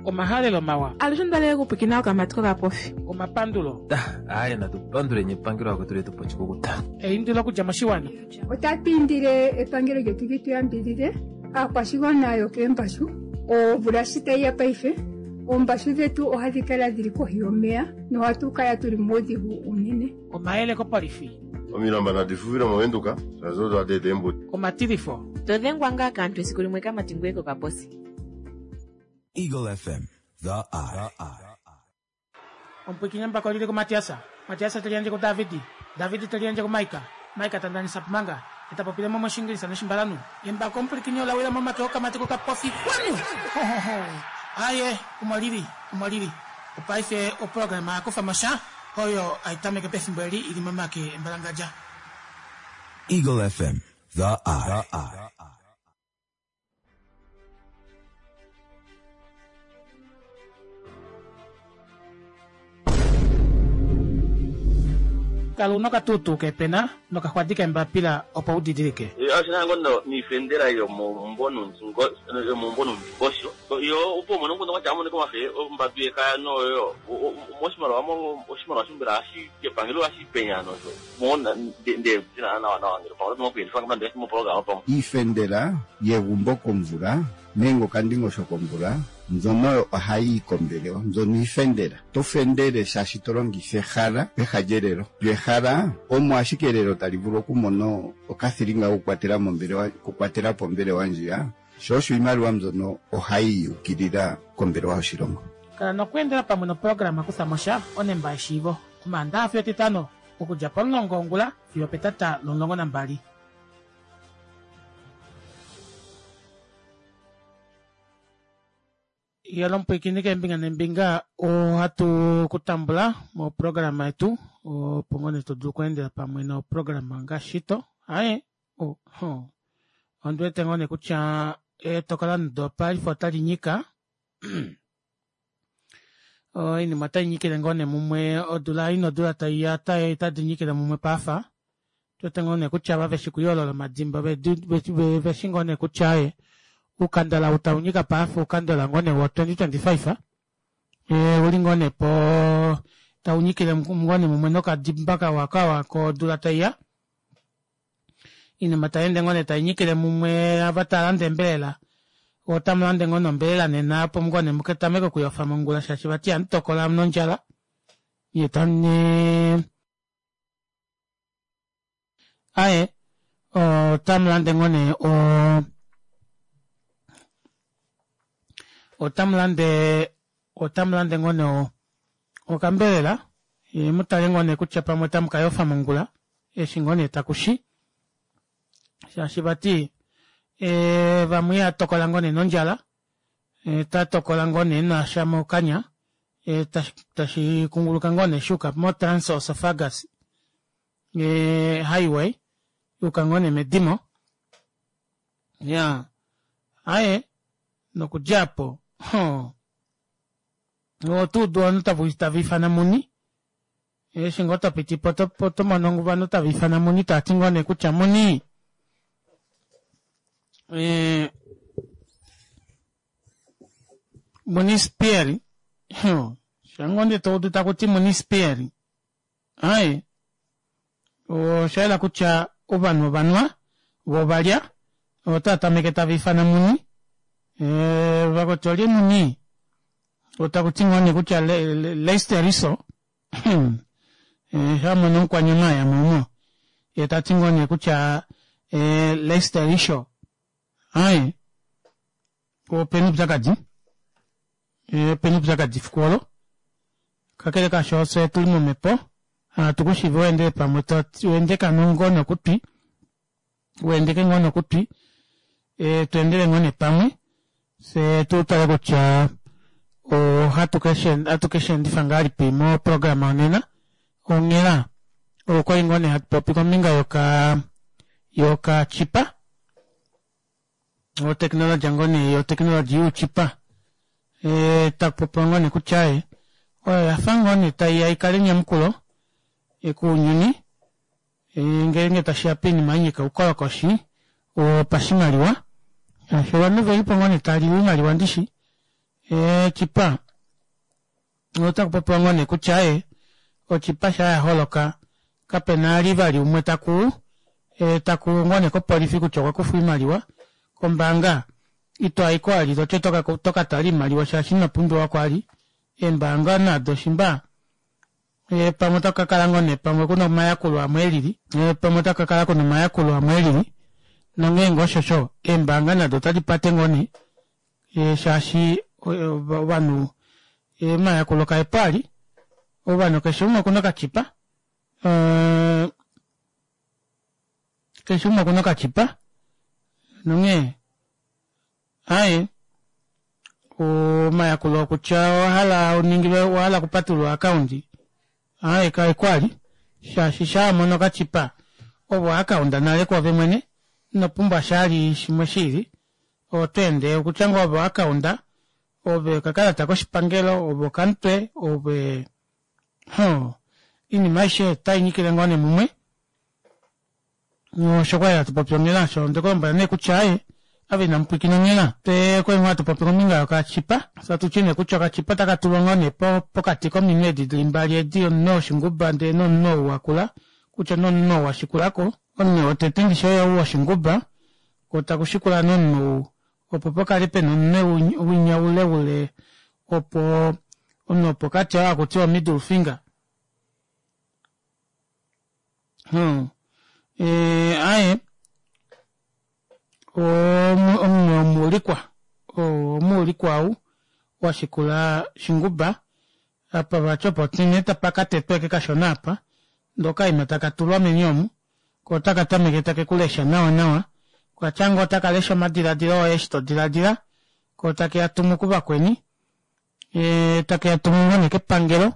Omahalelo mawa. Alushe onda okupwikina okamati kokapofi. Omapandulo. Aaye natu panduleni epangelo akwetu letu pochikukuta. Eindilo okudja moshiwana. Otatu indile epangelo lyetu li tu yambidhidhe aakwashigwana yokeembashu. Omvula shi tayi ya paife, oombashu dhetu ohadhi kala dhili kohi yomeya nohatu kala tuli muudhigu uunene. Omayele kopolifi. Omilamba nadi fuvile mOvenduka, shaashi odo hadi eta eembuto. Omatilifo. To dhengwa ngaa kaantu esiku limwe kamati ngweye kokaposi. Eagle FM, the eye. Omupwiikini embako lili kuMatiasa, Matiasa te liyandje kuDavidi, Davidi te liyandje kuMaika, Maika ta ndanisa Pumanga, e ta popile mo mOshiingilisa nOshimbalanhu. Embako omupwilikini ola wila momake okamati kokapofi. Kwanu! Ho, ho, ho! Aye, omo lili, omo lili. Opaife oprograma ya kufa mo sha, oyo hai tameke pefimbo eli i li momake embalangadja. Eagle FM, the eye. Kala u na okatuutuu keepena nokaxwadi keembapila opo u didilike. Oshina ngo niifendela yomombo nuundingosho yo opo umone omukundu gwatya amonike omafe ombambi yekaya noyo moshimaliwa oshimaliwa shombela hashi kepangelo hashi penya nosho Iifendela yegumbo komvula nenge okandingosho komvula mbyono oyo ohayi yi kombelewa. Mbyono iifendela. Oto fendele shaashi to longitha ehala peha lyelelo. Lyo ehala omo ashike elelo tali vulu okumona okathilinga kokukwatela mombelewa, okukwatela po ombelewa ndjiya. Sho osho iimaliwa mbyono ohayi yi ukilila kombelewa yoshilongo. Kala nokweendela pamwe noprograma Kutha mo sha onemba yeshiivo Omaandaha fiyo Etitano okudja pomulongo wongula fiyo opetata lomulongo nambali. Yela omupwiikini keembinga neembinga ohatu ku tambula moprograma yetu opo ngoo nee to dulu okweendela pamwe noprograma ngaashi to aye oh, oh. Ondi wete ngoo nee kutya etokolano paife otali nyika oinima otai nyikile ngoo nee mumwe odula ei nodula tai ya otadi nyikile mumwe paafa. Otu wete ngoo nee kutya ava veshi kuyoolola omadimba veshi ngoo nee kutya aye uukandala ou tau nyika paafa uukandala ngoo nee wo 2025 ouli ngoo nee po tau nyikile ngoo nee mumwe nokadimba kawa kawa kodula tai ya. Iinima tayi ende ngoo nee tayi nyikile mumwe ava taya landa eembelela otamu lande ngoo nombelela nena opo ngoo nee muka tameke okuyofa mongula shaashi vati ihamu tokola nondjala nye tamu aye otamu lande ngoo nee o otamu lande otamu lande ngoo nee okambelela ye mu tale ngoo nee kutya pamwe otamu ka yofa mongula eshi ngoo nee taku shi shaashi vati e, vamwe iha tokola ngoo nee nondjala e, ta tokola ngoo nee nasha mokanya e, tashi kunguluka ngoo nee shuuka mo trans-osophagus e, highway yuuka ngoo nee medimo ya aye nokudja po oto udu ovanhu tava ifana muni Eshi ngoo to piti po oto mono ovanhu tava ifana muni tava ti ngoo nee kutya muni eh, muni spieri sha ngoo nee to udu taku ti muni spieri aye osha yela kutya ovanhu ovanwa vo ovalya otava tameke tava ifana muni eh, vakuti olye muni otaku ti ngoo nee kutya Leicester Riso eh, a mono omukwanyama ya momo ye ta ti ngoo nee kutya eh, Leicester Riso aye opena oupyakadi eh, opena oupyakadi efiku olo kakele kasho fye tuli momhepo hatu ku shivi weendele pamwe to wendeka ngoo nokutwi wendeke ngoo nokutwi e, tu endele ngoo nee pamwe fye tu tale kutya ohatu ke shi endifa ngahelipi moprograma yonena onghela okwali ngoo nee hatu popi kombinga yoka yokachipa oteknologi ngoo nee yoteknologi youchipa e, taku popiwa ngoo nee kutya e oyo yafa ngoo nee taiya ikale enyamukulo kuunyuni e, ngeenge tashiya poinima ya nyika oukolokoshi wopashimaliwa shaashi ovanhu velipo ngoo nee tali oimaliwa ndishi. Eechipa otaku popiwa ngoo nee kutya ee ochipa sha ya holoka kapena ali vali umwe taku taku ngoo nee kopolifi kutya okwa kufwa oimaliwa kombaanga ito aiko ali toti oto ka tala oimaliwa shaashi ino pumbiwako ali eembaanga nado shimba pamwe otaku ka kala ngoo nee pamwe kuna omayakulo amwe elili pamwe otaku ka kala kuna omayakulo amwe elili nongeenge osho eembaanga nado otadi pate ngoo nee shaashi ovanhu omayakulo kaepo ali ovanhu keshe umwe okuna okachipa keshe umwe okuna okachipa nonghee aye omayakulo okutya owahala uningilwe owahala okupatulula oakaunti aye kaeko ali shaashi shaa mono okachipa ove oakaunda nale kwoove mwene ino pumbwa shali shimwe shiili Oto ende okutya ngoo ove oakaunda, ove okakalata koshipangelo, ove okamutwe, ove hoo oinima aishe otai nyikile ngoo nee mumwe. Osho kwali hatu popi onghela osho onde ku lombwela nee kutya aaye ava inamu pwiikina onghela. Twe okwali ngoo hatu popi kombinga yokachipa, fye atu ti nee kutya okachipa otaka tulwa ngoo nee pokati kominwe edi dili mbali edi, omunwe woshinguba ndee nomunwe ou wakula, kutya nee omunwe ou wa shikulako. Omunwe wotete ndishi oyou woshinguba Ko taku shikula nee omunwe ou, opo pa kale pena omunwe winya ule ule opo omunwe wopokati oo haku tiwa middle finger. Hmm. E, aye omunwe womuulikwa omuulikwa ou wa shikula Shinguba apa vati opo nee tapa ka tetwa eke kashona apa ndee okaima taka tulwa meni omu ko otaka tameke take ku lesha nawa nawa, okatya ngoo otaka lesha omadiladilo oye eshi to diladila, ko take a tumu kuvakweni, take a tumu ngoo nee kepangelo,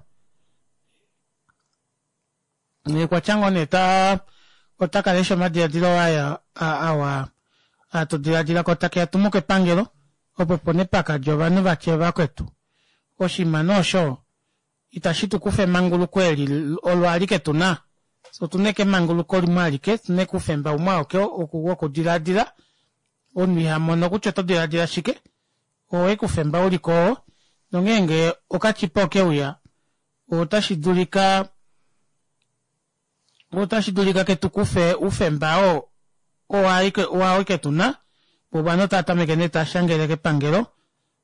okwatya ngoo nee ta otaka lesha omadiladilo oye awa aa to diladila ko take a tumu kepangelo, opo opo nee pakadja ovanhu vatye vakwetu oshinima nee osho Itashi tu kufa emanguluko eli olo alike tu na. Fye otu na eke emanguluko limwe alike, otu na eke oufemba umwe auke wokudiladila. Omunhu iha mono kutya oto diladila shike. Oo eke oufemba u li ko oo. Nongeenge okachipa oke uya, otashi dulika otashi dulika ke tu kufe oufemba oo oo awike tu na. Vo ovanhu otava tameke nee tava shangele kepangelo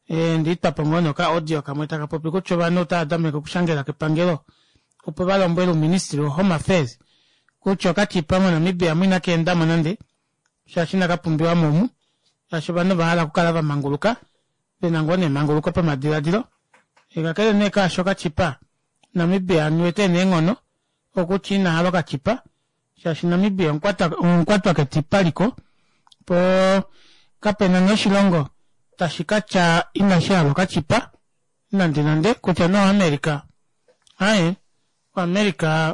Ndi twa po ngoo nee okaaudio kamwe taka popi kutya ovanhu otava tameke okushangela kepangelo opo va lombwele ouministili woHome Affairs kutya okachipa moNamibia mu inaka enda mo nande shaashi inaka pumbiwa mo omu shaashi ovanhu ova hala okukala va manguluka ve na ngoo nee emanguluko pamadiladilo. Kakele nee kaasho okachipa Namibia anuwa e na eenghono okutya ina hala okachipa shaashi Namibia omukwatwa ketipa liko po kapena nee oshilongo tashi ka tya inashi hala okachipa nande nande kutya nee oAmerica aaye oAmerica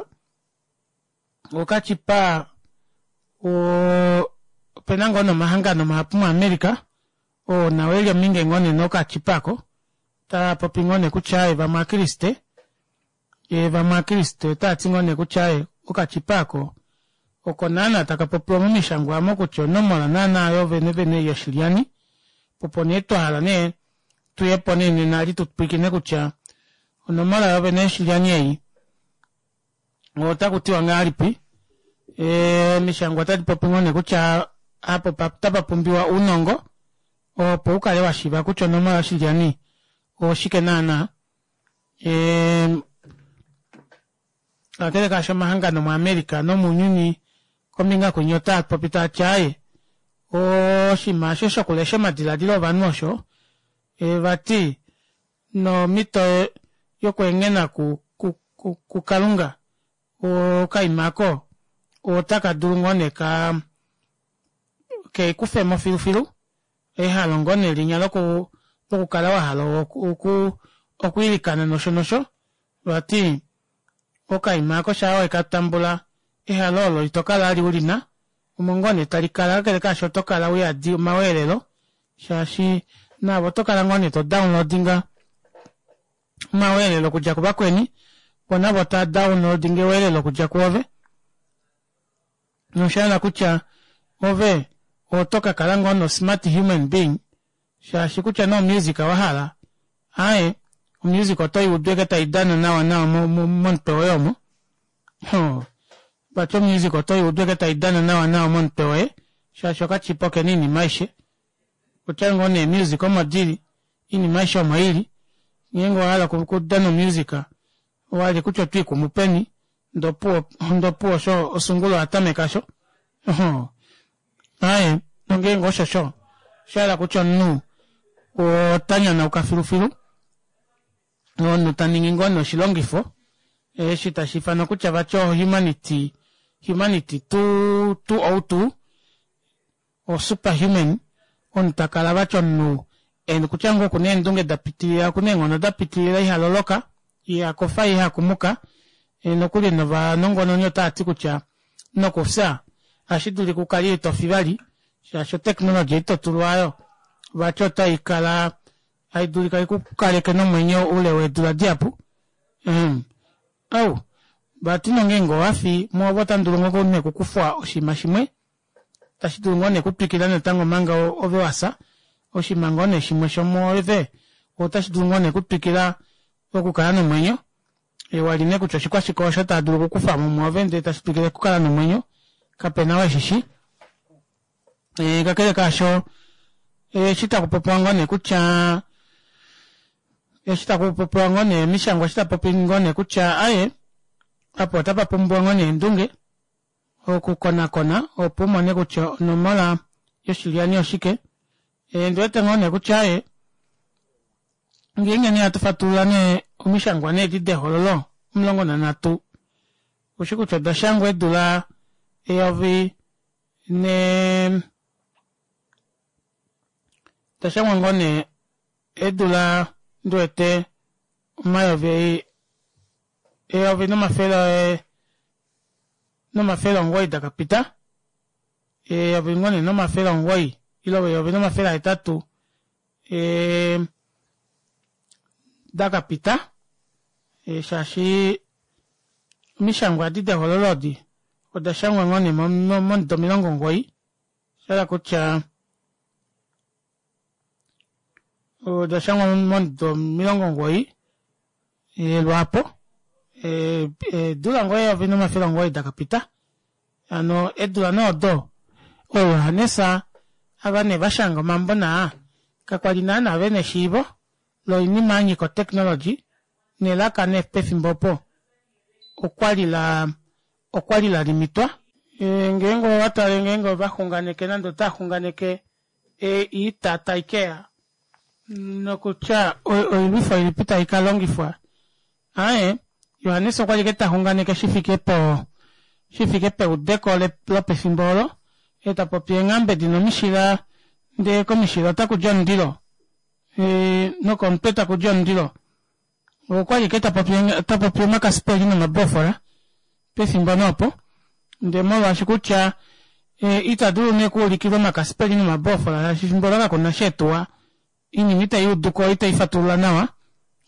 okachipa opena ngoo nomahangano mahapu moAmerica oo nao eli ominge ngoo nee nokachipa ako taa popi ngoo nee kutya aaye vamwe aakriste Ye vamwe Aakriste otaya ti ngoo nee kutya aye, okachipa ako oko naanaa taka popiwa momishangwa amo kutya onomola naanaa yo venevene yoshilyani. Opo nee twa hala nee tuye po nee nena ali tu pwilikine kutya onomola yo vene yoshilyani ei otaku tiwa ngahelipi. Omishangwa otadi popi ngoo nee kutya apo otapa pumbiwa uunongo opo u kale wa shiiva kutya onomola yoshilyani oshike naanaa. Kakele kaasho omahangano moAmerica nomounyuni kombinga kwinya otaa popi taa ti aaye oshinima osho shokulesha omadiladilo ovanhu osho vati nomhito yokweengena kuKalunga okaima ako otaka dulu ngoo nee ka ke kufe mo filufilu ehalo ngoo nee linya loku lokukala wa hala oku okwiilikana nosho nosho vati okaima ako shaa weka tambula ehalo olo ito kala ali ulina omo ngoo nee tali kala kakele kaasho oto kala uyadi omaweelelo shaashi naave oto kala ngoo nee to downloadinga omaweelelo okudja kuvakweni vo navo taa downloadinga eweelelo okudja kuove Nosha yela kutya ove oto ka kala ngoo no smart human being shaashi kutya nee omusic wa hala. Aaye, omusic oto i udu eke tai dana nawa nawa momutwe woye omo. Ho, vati omusic oto i udu eke tai dana nawa nawa momutwe woye, shaashi okachipa okena oinima aishe. Kutya ngoo nee music omo dili, oinima aishe omo ili. Ngeenge owa hala okudana omusic, owa li kutya oto i kumu peni, ndee opuwo, ndee opuwo osho osungulu oya tameka sho. Oho, Aaye, nongeenge osho sho, osha hala kutya omunhu ota nyanauka filufilu, omunhu ta ningi ngoo nee oshilongifo eshi tashi ifanwa kutya vati ohumanity, humanity 202, osuperhuman, omunhu ta kala vati omunhu e kutya ngoo okuna eendunge da pitilila, okuna eenghono da pitilila, iha loloka, iha kofa, iha kumuka, nokuli novanongononi otava ti kutya nokufya ohashi dulika u kale ito fi vali shaashi oteknologi ei to tulwa oyo vati otai kala hai dulika i ku kaleke nomwenyo oule weedula dihapu. Ehm, au, vati nongeenge owa fi mwoove otamu dulu ngoo nee okukufwa oshinima shimwe tashi dulu ngoo nee okutwikila natango omanga ove wa fya, oshinima ngoo nee shimwe shomwoove otashi dulu ngoo nee okutwikila okukala nomwenyo. Ewa li nee kutya oshikwashike osho taa dulu okukufa mo mwoove ndele tashi twikile okukala nomwenyo, kape na oo eshi shi. E, kakele kaasho, eshi taku popiwa ngoo nee kutya eshi taku popiwa ngoo nee omishangwa eshi ta popi ngoo nee kutya aye apa otapa pumbiwa ngoo nee eendunge okukonakona opo u mone kutya onomola yoshilyani oshike. E, ndi wete ngoo nee kutya aye Ngeenge nee hatu fatulula nee omishangwa nee edi dehololo 13, ushi kutya oda shangwa eedula eyovi ne oda shangwa ngoo nee eedula ndi wete omayovi eyovi nomafele nomafele omugoyi da ka pita eyovi ngoo nee nomafele omugoyi ile eyovi nomafele ahetatu E, da ka pita e, shaashi omishangwa adi dehololo odi oda shangwa ngoo nee momudo 90, sha hala kutya oda shangwa momudo 90 e, lwaapo eedula ngoo 1900 da ka pita. Hano eedula nee odo ooJohannes ava nee va shanga omambo naa, kakwa li naana ve na eshiivo loinima ya nyika oteknologi, nelaka nee pefimbo opo okwa li la okwa li la limitwa. Ngeenge owa tale ngeenge ova xunganeke nande otava xunganeke oita tai ke ya nokutya oilwifo ilipi tai ka longifwa, Aaye, Johannes okwa li ta xunganeke shi fike po shi fike peudeko lopefimbo olo, e ta popi eenghambe di na omishila ndee komishila otaku di omundilo nokomutwe taku di omundilo. Okwa li ta popi ta popi omakasipeli nomabofola pefimbo nee opo, ndee molwaashi kutya ita dulu nee okuulikilwa omakasipeli nomabofola shaashi efimbo olo kaku na sha eetuwa Iinima itayi udu ko itayi fatulula nawa,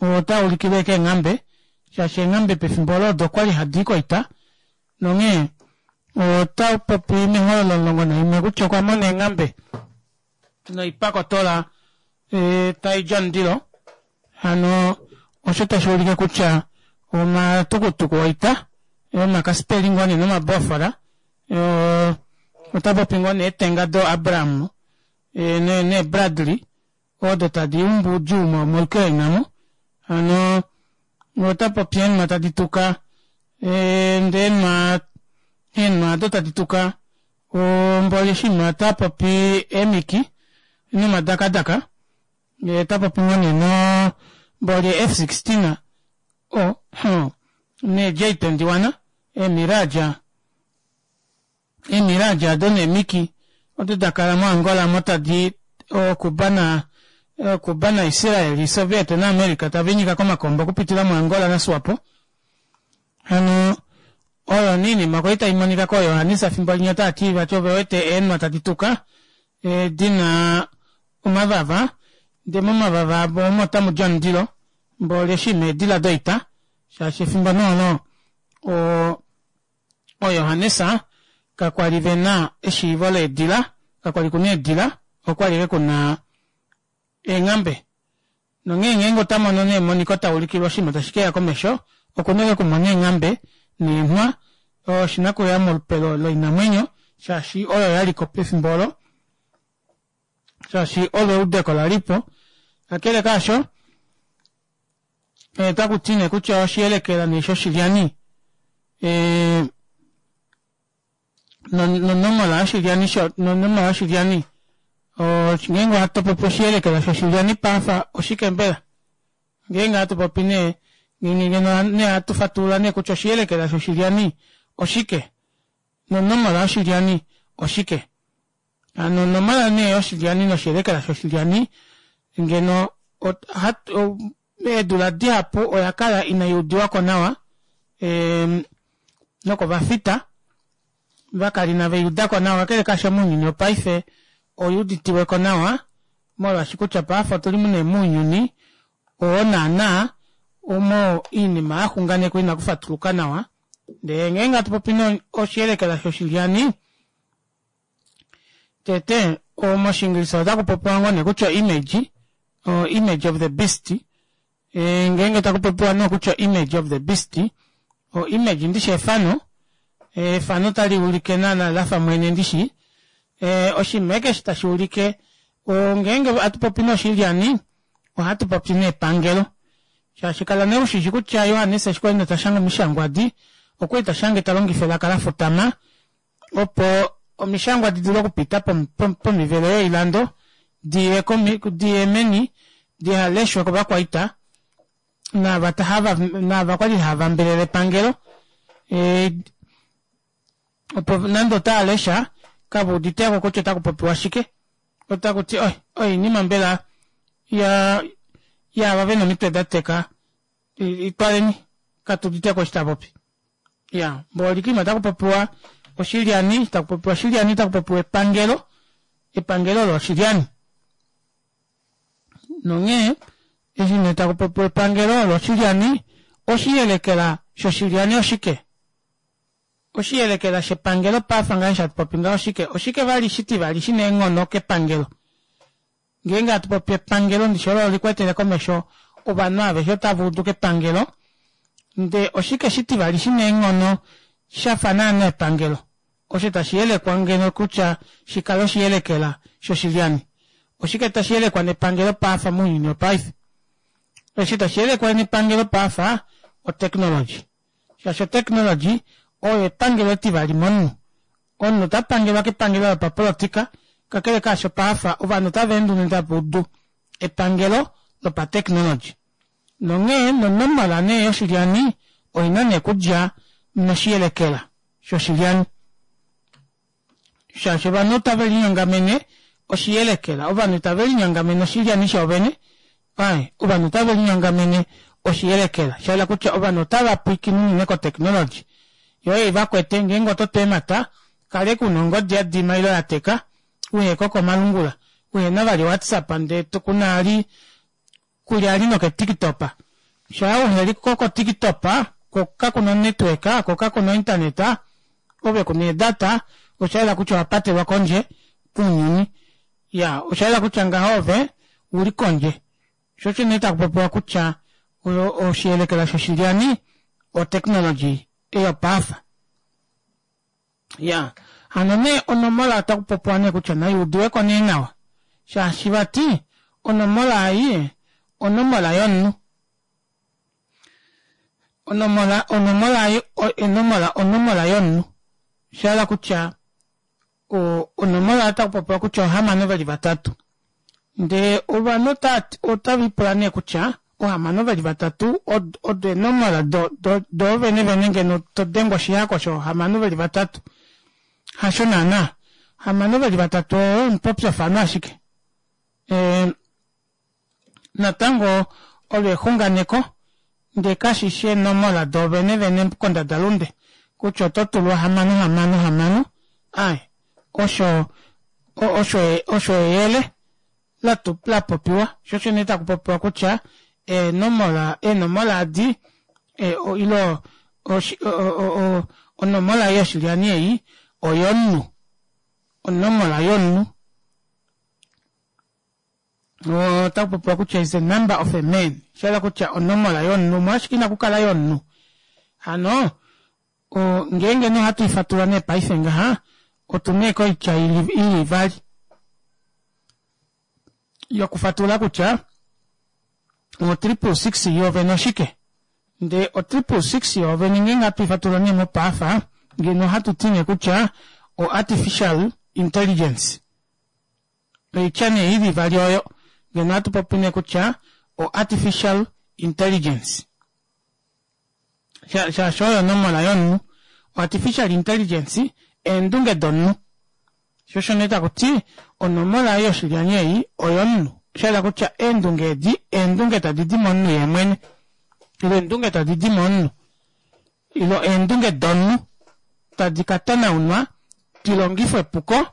ota ulikilwe keenghambe, shaashi eenghambe pefimbo olo odo kwa li hadi i koita, nonghee ota popi mehololo 11 kutya okwa mona eenghambe noipakotola tai di omundilo, hano osho tashi ulike kutya omatukutuku oita, omakasipeli ngoo nee nomabofola, ota popi ngoo nee eetenga do Abraham neeBradley odo tadi umbu oudjuu moUkraine omu. Hano ota popi eenhwa tadi tuka ndee eenhwa eenhwa ado tadi tuka omboli eshi ota popi eemiki nomadakadaka ota popi ngoo nee no mboli F-16 o nee J-21 eemirage Eemiraji ado neemiki odo da kala moAngola omo tadi ooCuba na ooCuba naIsraeli, Soviet naAmerica tava inyika komakombo okupitila moAngola naSwapo. Hano oyo nee iinima kwali tai monika kooYohanesa fimbo linya otava ti vati ove wete eenhwa tadi tuka di na omavava ndee momavava avo omo otamu di omundilo mboli eshi meedila doita shaashi efimbo nee olo o ooJohannes kakwa li ve na eshiivo leedila, kakwa li ku na eedila, okwa li ashike ku na eenghambe. Nonghee ngeenge ota mono nee emoniko ta ulikilwa oshinima tashi ke ya komesho, oku na okumona eenghambe neenhwa, oshi na okuya molupe loinamwenyo, shaashi oyo ya li ko pefimbo olo, shaashi olo eudeko la li po. Kakele kaasho, otaku ti nee kutya oshiyelekela nee shoshilyani e, nonomola yoshilyani nonomola yoshilyani ngeenge ohatu popi oshiyelekela shoshilyani paafa oshike mbela ngeenge hatu popi nee ngeno nee hatu fatulula nee kutya oshiyelekela shoshilyani oshike nonomola yoshilyani oshike hano onomola nee yoshilyani noshiyelekela shoshilyani ngeno eedula dihapu oya kala inai udiwako nawa nokovafita vakala inave i udako nawa kakele kaasho mounyuni wopaife oi uditiweko nawa molwaashi kutya paife otuli nee mounyuni oo naana omo oinima ya xunganekwa ina kufatuluka nawa ndee ngeenge hatu popi oshiyelekela shoshilyani tete moshiingilisa otaku popiwa ngoo nee kutya image image of the beast ngeenge taku popiwa nee kutya image of the beast o image ndishi efano efano tali ulike naana lafa mwene ndishi oshinima keshe tashi ulike ngeenge hatu popi noshilyani ohatu popi nepangelo shaashi kala nee ushishi kutya Johannes eshi kwali ta shanga omishangwa adi okwali ta shange ta longifa elaka la futama opo omishangwa di dule okupita pomivelo yoilando diye meni dihaleshwe kovakwaita naava kwali hava mbelele epangelo opo nande otava lesha kava uditeko kutya otaku popiwa shike otaku ti oinima mbela yaava vena omitwe da teka itwaleni katu uditeko eshi tapopi ya mbolikima otaku popiwa oshilyani taku popiwa oshilyani taku popiwa epangelo epangelo olo oshilyani nonghee eshi nee taku popiwa epangelo olo oshilyani oshiyelekela shoshilyani oshike oshiyelekela shepangelo paife ngaashi hatu popi ngaho oshike oshike vali shitivali shina eenghono kepangelo ngeenge hatu popi epangelo ndishi olo likwetele komesho ovanhu aveshe otava udu kepangelo ndee oshike shitivali shina eenghono shafa naana epangelo osho tashi yelekwa ngeno kutya shikale oshiyelekela shoshilyani oshike tashi yelekwa nepangelo paafa mounyuni wopaife eshi tashi yelekwa nepangelo paafa oteknologi shaashi oteknologi oyo epangelo etivali momunhu omunhu ota pangelwa kepangelo lopapolitika kakele kaasho paafa ovanhu otava ende unene tava udu epangelo lopateknologi nonghee nonomola nee yoshilyani oina nee kudja noshiyelekela shoshilyani shaashi ovanhu otave linyongamene oshiyelekela ovanhu itave linyongamene oshilyani shoovene ai ovanhu otave linyongamene oshiyelekela shaela kutya ovanhu otava pwiikine unene koteknologi yo ei vakwete ngeenge oto tu eemata kale kuna ongodi ya dima ile ya teka uheko komalungula uhena vali whatsapp ndee kuna ali kuli ali noketiktok shaa uheli ko kotiktok ko kakuna onetwork ko kakuna ointernet ove kuna eedata osha yela kutya owapatelwa kondje kounyuni ya osha yela kutya ngaho ove uli kondje sho osho nee taku popiwa kutya oshiyelekela shoshilyani oteknologi eyopaafa ya hano nee onomola otaku popiwa nee kutya nai udiweko nee nawa shaashi vati onomola ei onomola yomunhu onomola onomola ei onomola onomola yomunhu shahala kutya onomola otaku popiwa kutya ohamano veli vatatu ndee ovanhu otava ipula nee kutya ohamano veli vatatu odo eenomola doovene vene ngeno todengwa oshihako shoohamano veli vatatu hasho naana hamano veli vatatu oo omupopyofano ashike natango olo exunganeko ndee kashishi eenomola doovene vene kondadalunde kutya oto tulwa hamano hamano hamano ai osho osho eyele la popiwa sho osho nee taku popiwa kutya eenomola eenomola adi ilo onomola yoshilyani ei oyomunhu onomola yomunhu. Otaku popiwa kutya is the number of a man, sha kutya onomola yomunhu, omolwashike inaku kala yomunhu? Hano ngeenge nee ohatu ifatula nee paife ngaha, otu nee koitya ili ivali yokufatula kutya o 666 yoovene oshike. Ndee o 666 yoovene ngeenge hatu ifatula nee mopaafa, ngeno ohatu ti nee kutya o artificial intelligence. Oitya nee ili ivali oyo ngeno ohatu popi nee kutya o artificial intelligence. Shaashi oyo onomola yomunhu. O artificial intelligence eendunge domunhu. Sho osho nee taku ti onomola ei yoshilyani ei oyomunhu. Osha yela kutya eendunge edi eendunge tadi di momunhu ye mwene. Ile eendunge tadi di momunhu. Ile eendunge domunhu tadi ka tanaunwa di longifwe epuko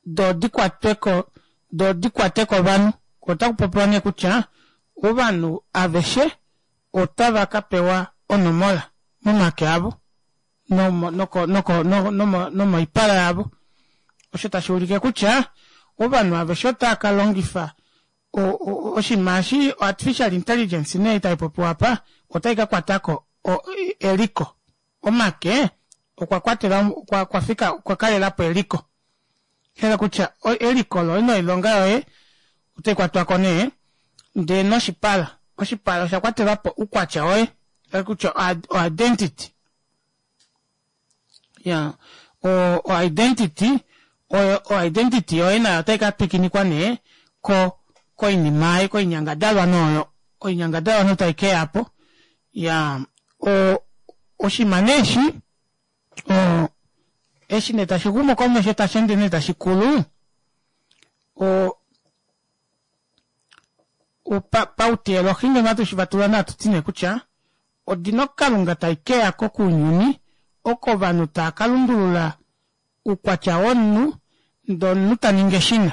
do di kwatwe ko do di kwate kovanhu. Otaku popiwa nee kutya ovanhu aveshe otava ka pewa onomola momake avo nomoipala yavo, osho tashi ulike kutya ovanhu aveshe otava ka longifa oshinima eshi artificial intelligence nee tai popiwa apa otai ka kwata ko eliko. Omake okwa kwatela okwa fika okwa kalela po eliko. Hela kutya eliko loye noilonga yoye otai kwatwa ko nee ndee noshipala. Oshipala osha kwatelwa po oukwatya woye, hela kutya o identity. Ya, o identity oyo o identity yoye nayo otai ka twikinikwa nee ko koinima ei koinyangadalwa nooyo oinyangadalwa no tai keya po. Ya, o oshinima nee eshi o eshi nee tashi xumu komesho tashi ende nee tashi kulu o pauteolohi ngeno hatu shi vatulula nee hatu ti nee kutya odino kalunga tai keya ko kounyuni oko ovanhu taa ka lundulula oukwatya womunhu ndee omunhu ta ningi eshina.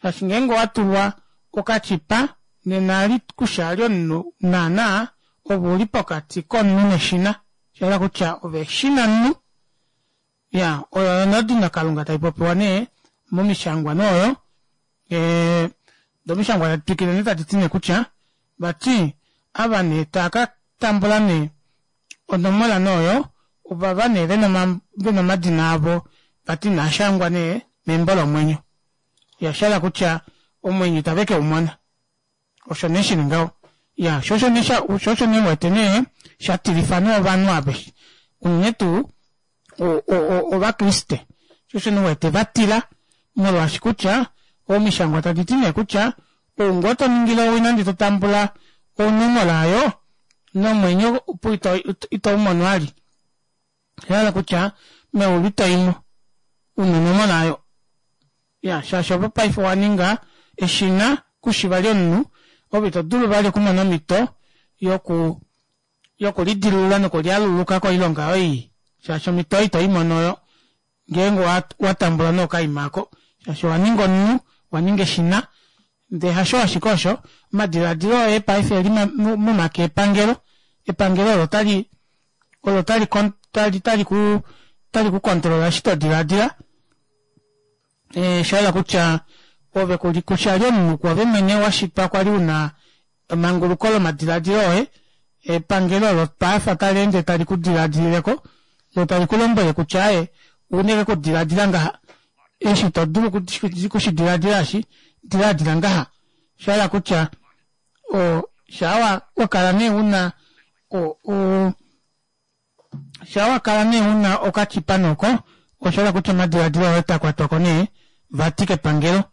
Shaashi ngeenge owa tulwa okachipa nena ali kusha ali omunhu naana ove uli pokati komunhu neshina. Sha hala kutya ove eshina munhu. Ya, oyo oyo odino kalunga tai popiwa nee momishangwa nooyo. Domishangwa tadi twikile nee tadi ti nee kutya vati ava nee taa ka tambula nee onomola nooyo ovava nee vena omadina avo vati inaa shangwa nee membo lomwenyo. Ya, sha hala kutya omwenyo itave ke u mona. Osho nee shili ngaho. Ya, sho osho nee sho osho nee wete nee sha tilifa nee ovanhu aveshe. Unene tuu Ovakriste. Sho osho nee wete va tila molwaashi kutya omishangwa tadi ti nee kutya ou ngoo to ningile owina ndee to tambula onomola oyo nomwenyo opo ito u mono vali. Osha hala kutya meulu ito imo una onomola oyo. Ya, shaashi ove paife owa ninga eshina kushi vali omunhu, ove ito dulu vali okumona omhito yoku yokulidilulula nokulialuluka koilonga yoye ii, shaashi omhito oyo ito i mono oyo ngeenge owa tambula nookaima ako, shaashi owa ninga omunhu, owa ninga eshina. Ndee hasho ashike osho, omadilaadilo oye paife eli momake epangelo, epangelo olo tali olo tali tali tali ku tali ku kontrola eshi to dilaadila. Osha yela kutya ove kuli kutya li omunhu kwoove mwene wa shitwa kwali una emanguluko lomadiladilo oye, epangelo olo paife tali ende tali ku diladilileko lo tali ku lombwele kutya aye ouna ike okudiladila ngaha, eshi to dulu okushi diladila eshi, diladila ngaha. Osha hala kutya o shaa wa kala nee una o o Shaa wa kala nee u na okachipa noko, osha hala kutya omadiladilo oye ota kwatwa ko nee vati kepangelo.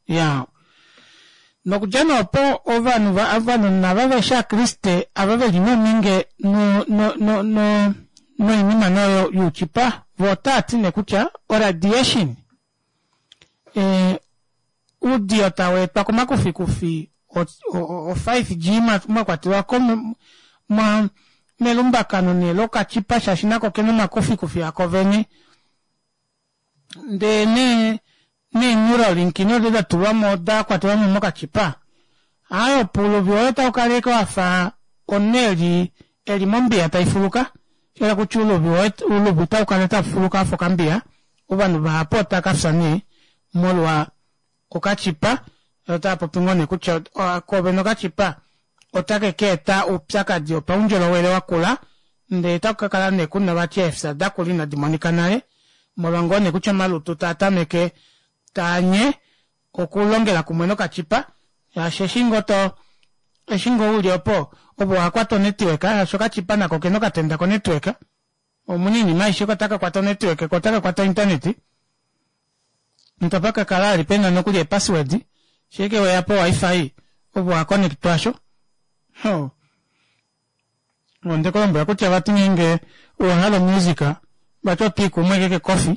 Ya. Nokudja nee opo ovanhu va, ovanhu nava veshi Aakriste ava ve li nominge no, no, no, no, noinima noyo yuuchipa, vo otaa ti nee kutya oradiation, e, uudiyo tau etwa komakufikufi o 5G mwa kwatelwa ko melumbakano nee lokachipa shaashi nako kena omakufikufi ako vene ndee nee nee Neuralink nodo da tulwa mo da kwatelwa mo mokachipa aaye opo uluvi woye tau kala ashike wafa omunhu eli eli mombiya tai fuluka sha hala kutya uluvi woye uluvi otau kala tau fuluka wafa okambiya. Ovanhu vahapu otava ka fya nee molwa okachipa, otava popi ngoo nee kutya koovene okachipa otake ka eta oupyakadi wopaundjolowele wakula ndee otaku ka kala nee kuna vati eefya dakula inadi monika nale molwa ngoo nee kutya omalutu taa tameke taanye okulongela kumwe nokachipa shaashi eshi ngoo to eshi ngoo uli opo ove ohakwata onetwork shaashi okachipa nako okena okatenda konetwork omuna oinima aishe ko otaka kwata onetwork ko otaka kwata ointernet notapa ka kala vali pena nokuli eepassword shee weya po wifi ove owa connectwa asho ho onde kulombwela kutya vati ngeenge owahala omusic vati otwii kumwe ashike kekofi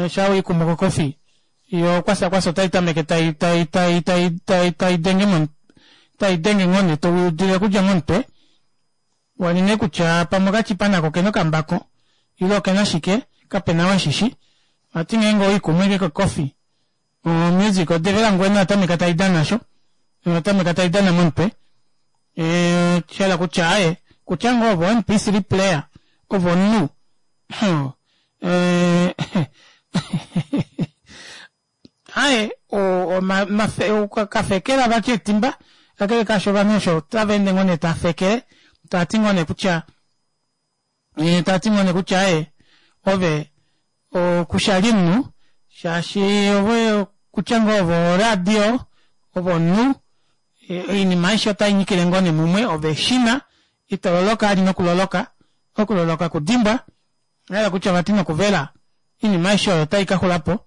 shaa wiikumu kokofi yo kwasa kwasa otai tameke tai tai tai tai tai tai denge mo tai denge ngoo nee to udile okudja momutwe wali nee kutya pamwe okachipa nako okena okambako ile okena shike kapena ou eshishi vati ngeenge owiikumu ashike kokofi omusic odevela ngwena oyatameka tai dana sho oyatameka tai dana momutwe shahala kutya aaye kutya ngoo ove o mp3 player ove omunhu aaye kafekela vati etimba kakele kaasho ovanhu osho otava ende ngoo nee tava fekele tava ti ngoo nee kutya tava ti ngoo nee kutya aaye ove kushali omunhu shaashi ove kutya ngoo ove oradio ove omunhu oinima aishe otai nyikile ngoo nee mumwe ove eshina ito loloka vali nokuloloka okuloloka kudimbwa ohahala kutya vati nokuvela oinima aishe oyo otai ka xulapo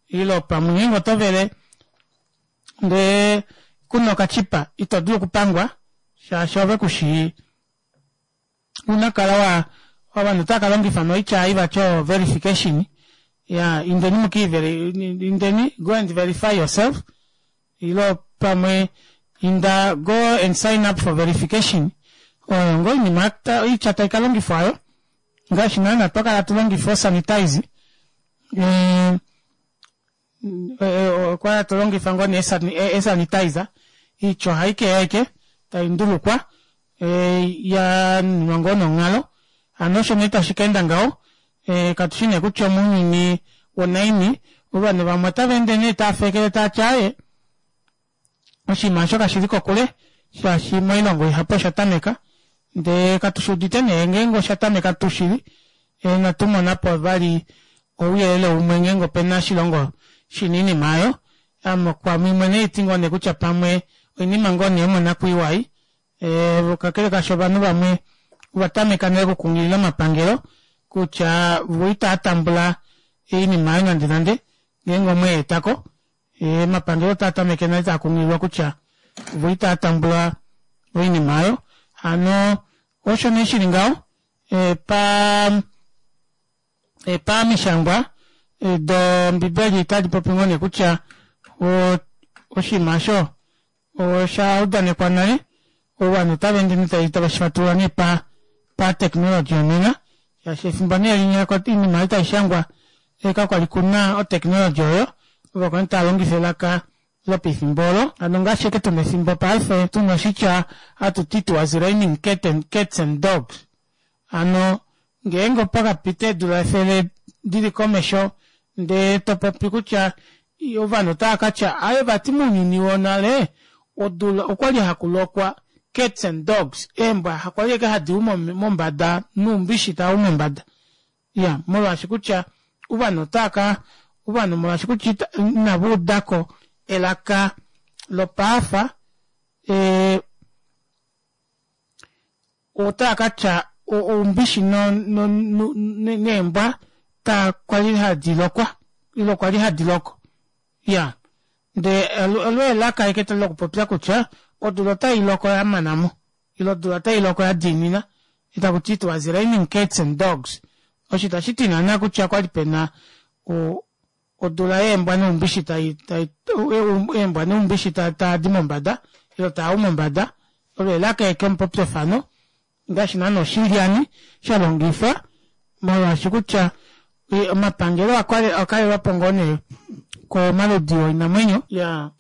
ile pamwe ngeenge oto vele ndee kuna okachipa ito dulu okupangwa shaashi ove kushii una kala wa ovanhu otava ka longifa noitya ei vati o verification ya indeni mukiiveri indeni go and verify yourself ilo pamwe inda go and sign up for verification oyo ngoo oinima oitya tai ka longifwa oyo ngaashi naana twa kala tulongifa osanitize okwa hatu longifa ngoo nee esanitizer oitya ohai keya ashike tai ndulukwa ya nuninwa ngoo nonghalo hano osho nee tashi ka enda ngaho katushi nee kutya omounyuni wonaini ovanhu vamwe otava ende nee tava fekele tavati aaye oshinima osho kashili kokule shaashi moilongo ihapu osha tameka ndee katu shi udite nee ngeenge osha tameka tuu shili inatu monapo vali ouyelele umwe ngeenge opena oshilongo shina oinima aayo ame kwame mwene haiti ngoo nee kutya pamwe oinima ngoo nee yomonakwiiwa ei kakele kaasho ovanhu vamwe ova tameka nale okukunghilila omapangelo kutya vo itaa tambula oinima aayo nande nande ngeenge omweetako Omapangelo otaa tameke nale taa kunghililwa kutya vo itaa tambula oinima oyo. Hano osho nee shili ngaho pa pamishangwa dombibeli otadi popi ngoo nee kutya oshinima osho osha udanekwa nale ovanhu otava ende nee tave shi fatulula nee pa patechnology yonena shaashi efimbo nee linya oinima ei tai shangwa kakwali kuna otechnology oyo ovo kwali tava longifa elaka lopefimbo olo hano ngaashi ashike tuna efimbo paife tuna oshitya hatu ti it was raining cat and, cats and dogs hano ngeenge opa kapita eedula efele dili komesho ndee to popi kutya ovanhu otava katya aaye vati mounyuni wonale odula okwali hakulokwa cats and dogs eembwa hakwali ashike hadi u mombada noumbishi tau mombada iya molwaashi kutya ovanhu otava ka ovanhu molwaashi kutya inava udako elaka lopaafa e, otava ka tya oumbishi neembwa ta kwali hadi lokwa ile okwa li hadi loko ya ndee olo elaka ashike lokupopya kutya odula otai loko ya mana mo ile odula otai loko ya diinina itaku ti it was raining cats and dogs osho itashi ti naana kutya kwali pena odula yeembwa noumbishi tai tai eembwa noumbishi taadi mombada ile taa u mombada olo elaka eke omupopyofano ngaashi naana oshilyani sha longifwa molwaashi kutya omapangelo akalelwapo ngoo nee komaludi oinamwenyo ya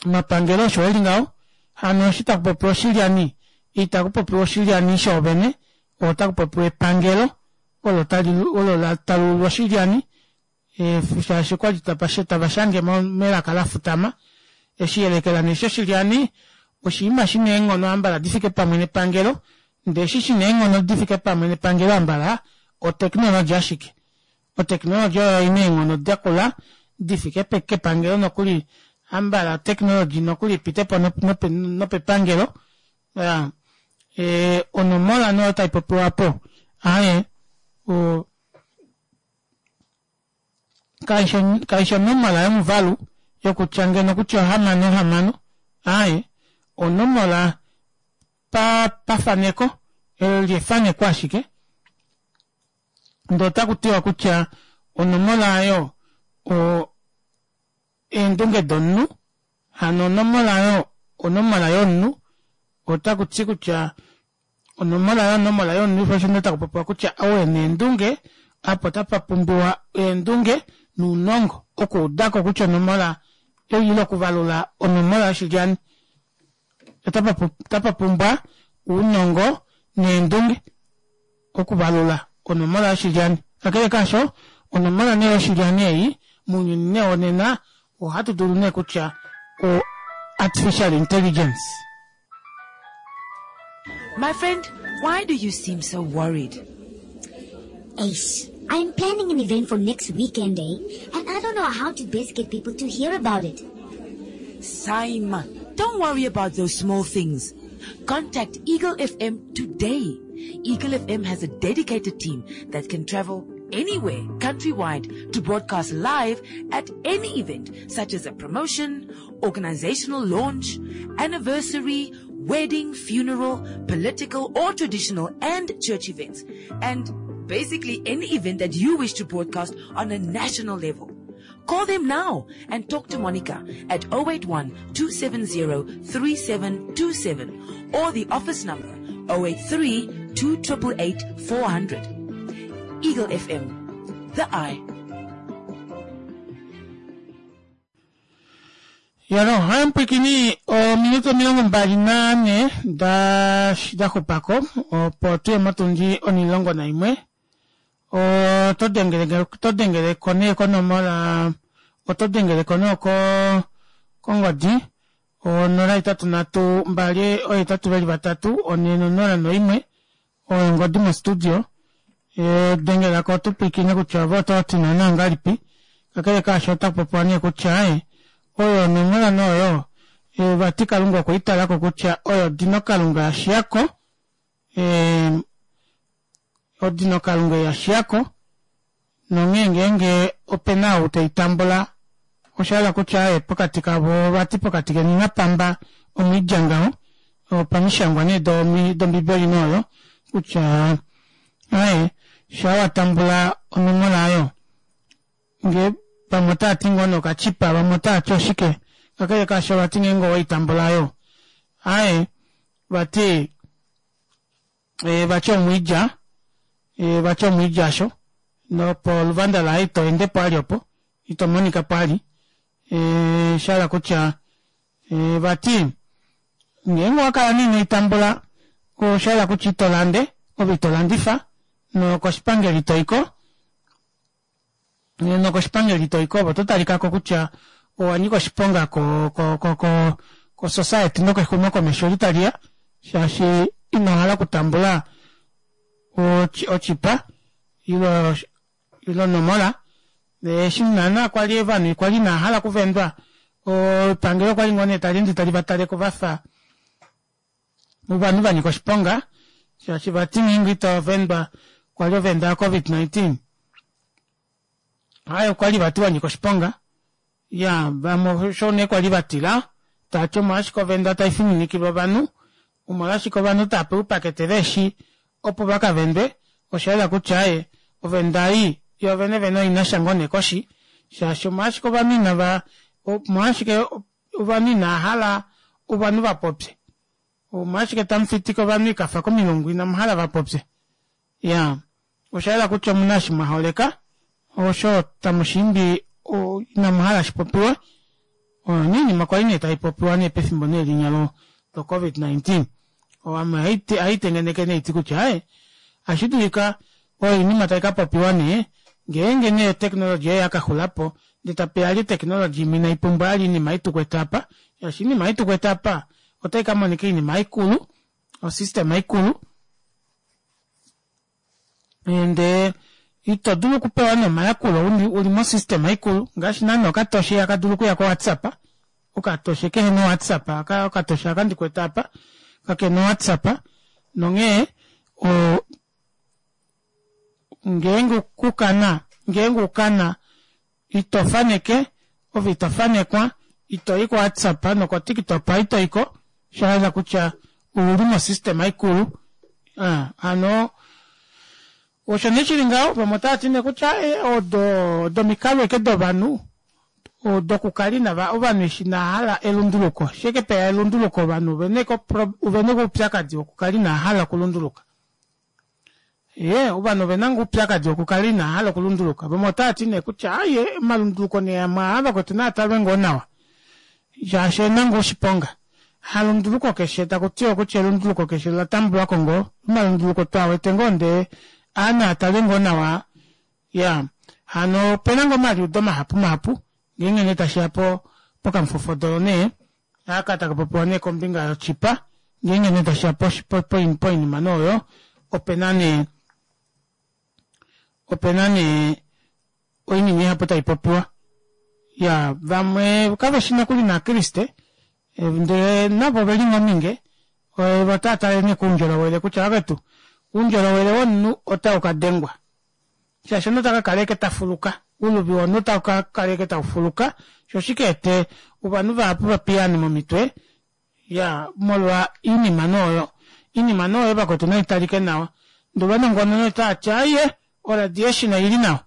omapangelo osho eli ngaho hano eshi taku popiwa oshilyani itaku popiwa oshilyani shoovene otaku popiwa epangelo olo tali olo la talulwa oshilyani. Shaashi okwali tava shange melaka lafutama. Eshi yelekela nee shoshilyani oshinima shina eenghono ambala difike pamwe nepangelo ndee eshi shina eenghono difike pamwe nepangelo ambala oteknologi ashike. Oteknologi oyo oina eenghono dakula difike kepangelo nokuli ambala oteknologi nokuli ipitepo nopepangelo. Onomola nee oyo taipopiwa aapo aaye kaishi onomola yomuvalu yokutya ngeno kutya ohamano hamano aaye onomola pa pafaneko eli efaneko ashike ndee ota kutiwa kutya onomola aayo o eendunge domunhu hano onomola oyo onomola yomunhu otaku ti kutya onomola yonomola yomunhu osho nee taku popiwa kutya ou ena eendunge apo otapa pumbiwa eendunge nounongo okuudako kutya onomola ile okuvalula onomola yoshilyani otapa pumbwa ounongo neendunge okuvalula onomola yoshilyani. Kakele kaasho, onomola nee yoshilyani ei mounyuni nee wonena ohatu dulu nee kutya o artificial intelligence. My friend, why do you seem so worried? Ace, I'm planning an event for next weekend, eh? And I don't know how to best get people to hear about it. Simon, don't worry about those small things. Contact Eagle FM today. Eagle FM has a dedicated team that can travel anywhere countrywide to broadcast live at any event such as a promotion, organizational launch, anniversary, wedding, funeral, political or traditional and church events. And basically any event that you wish to broadcast on a national level. Call them now and talk to Monica at 081 270 3727 or the office number 083 2888 400. Eagle FM, the eye. Yalo, hamupwikini ominute 24 da xupako opo tuye motundi 11. Oto dengele oto dengele ko nee konomola oto dengele ko nee ko kongodi 083 2 8 2 3 4 0 1 oyo ongodi mostudio dengela ko tupwikine kutya ove oto ti naana ngahelipi kakele kaasho ota popiwa nee kutya oyo onomola nee oyo vati kalunga okwe italako kutya oyo dino kalunga yashiyako odino kalunga yashiyako nonghee ngeenge opena ou teitambula osha hala kutya pokati kavo vati pokati keni napamba omwiidja ngaho opamishangwa nee dombibeli noyo kutya aye sha watambula onomola ayo nge vamwe otaati ngoo nokachipa vamwe otaati oshike kakele kaasho vati ngeenge oweitambula ayo aye vati vati omwiidja vati omwiidja asho nopo luvanda laye ito endepo ali opo ito monika po ali shahala kutya vati ngeenge owakala nee inoitambula oshahala kutya ito lande ove ito landifa nokoshipangelo itoiko nokoshipangelo itoiko ove oto talikako kutya owanyika oshiponga ko ko ko ko ko society nokexumokomesho eli taliya shaashi inohala okutambula ochipa ilo onomola eshi naana kwali ovanhu kwali inahala okuvendwa epangelo okwali ngoo nee tali ende tali vataleko vafa ovanhu vanyika oshiponga shaashi vati ngeenge ito vendwa kwali ovenda ya covid-19 aye okwali vati wanyika oshiponga ya vamwe osho nee kwali vatila taati omolwashike ovenda taifininikilwa ovanhu omolwashike ovanhu taapewa oupakete veeshi opo vakavendwe oshayela kutya aye ovenda ei yoovene vene oinasha ngoo nee koshi shaashi omolwashike ovanhu inava omolwashike ovanhu inahala ovanhu vapopye omolwashike tamufitika ovanhu ikafa komilungu inamuhala vapopye ya oshayela kutya omuna eshi mwaholeka osho tamushiimbi inamuhala shipopiwe oyo nee oinima kwali nee taipopiwa nee pefimbo nee linya lo covid-19 owamwe haitengeneke nee iti kutya aye ashidulika oyo oinima taikapopiwa nee Ngeenge nee oteknologi oyo yakaxula po ndee tapeya vali oteknologi imwe inaipumbwa vali oinima ei tukwete apa, shaashi oinima ei tukwete apa otai kamonika oinima ikulu, osystem ikulu ndee ito dulu okupewa nee omayakulo uli mosystem ikulu ngaashi naana okatoshe ihaka dulu okuya kowhatsapp okatoshe kehena owhatsapp aka okatoshe aka ndikwete apa kakena owhatsapp nonghee o ngeenge kukana ngeenge ukana ito faneke ove ito fanekwa ito i kowhatsapp nokotiktok ito iko shahala kutya ouli mosystem ikulu ah, hano osho nee shili ngaho vamwe otava ti nee kutya eh, odo odomikalo eke dovanhu dokukala inava ovanhu eshi inahala elunduluko sheke peya elunduluko ovanhu ovena oupyakadi wokukala inahala okulunduluka Ye, ovanhu ove na ngoo oupyakadi wokukala inaa hala okulunduluka. Vamwe otava ti nee kutya aaye, omalunduluko nee amwe aa vakwetu naa talwe ngoo nawa shaashi oe na ngoo oshiponga. Halunduluko keshe taku tiwa kutya elunduluko keshe ola tambulwa ko ngoo. Omalunduluko twaa wete ngoo ndee aa naa talwe ngoo nawa. Ya, hano ope na ngoo omaliudo mahapu mahapu ngeenge nee tashi ya po pokamufofodolo nee aka taka popiwa nee kombinga yochipa ngeenge nee tashiya poinima nee oyo opena nee opena nee oinima ihapu tai popiwa ya vamwe kaveshi nokuli naakriste ndele navo oveli ngoo ominge otava tale nee koundjolowele kutya vavetu oundjolowele womunhu otau ka dengwa shaashi omunhu ota ka kala ashike ta fuluka, ouluvi womunhu otau ka kala ashike tau fuluka, sho shi ka ete ovanhu vahapu va piyaane momitwe, ya molwa oinima nee oyo. Oinima nee oyo vakwetu nai talike nawa. Ndee ovanongononi otava ti aaye oradiation oili nawa,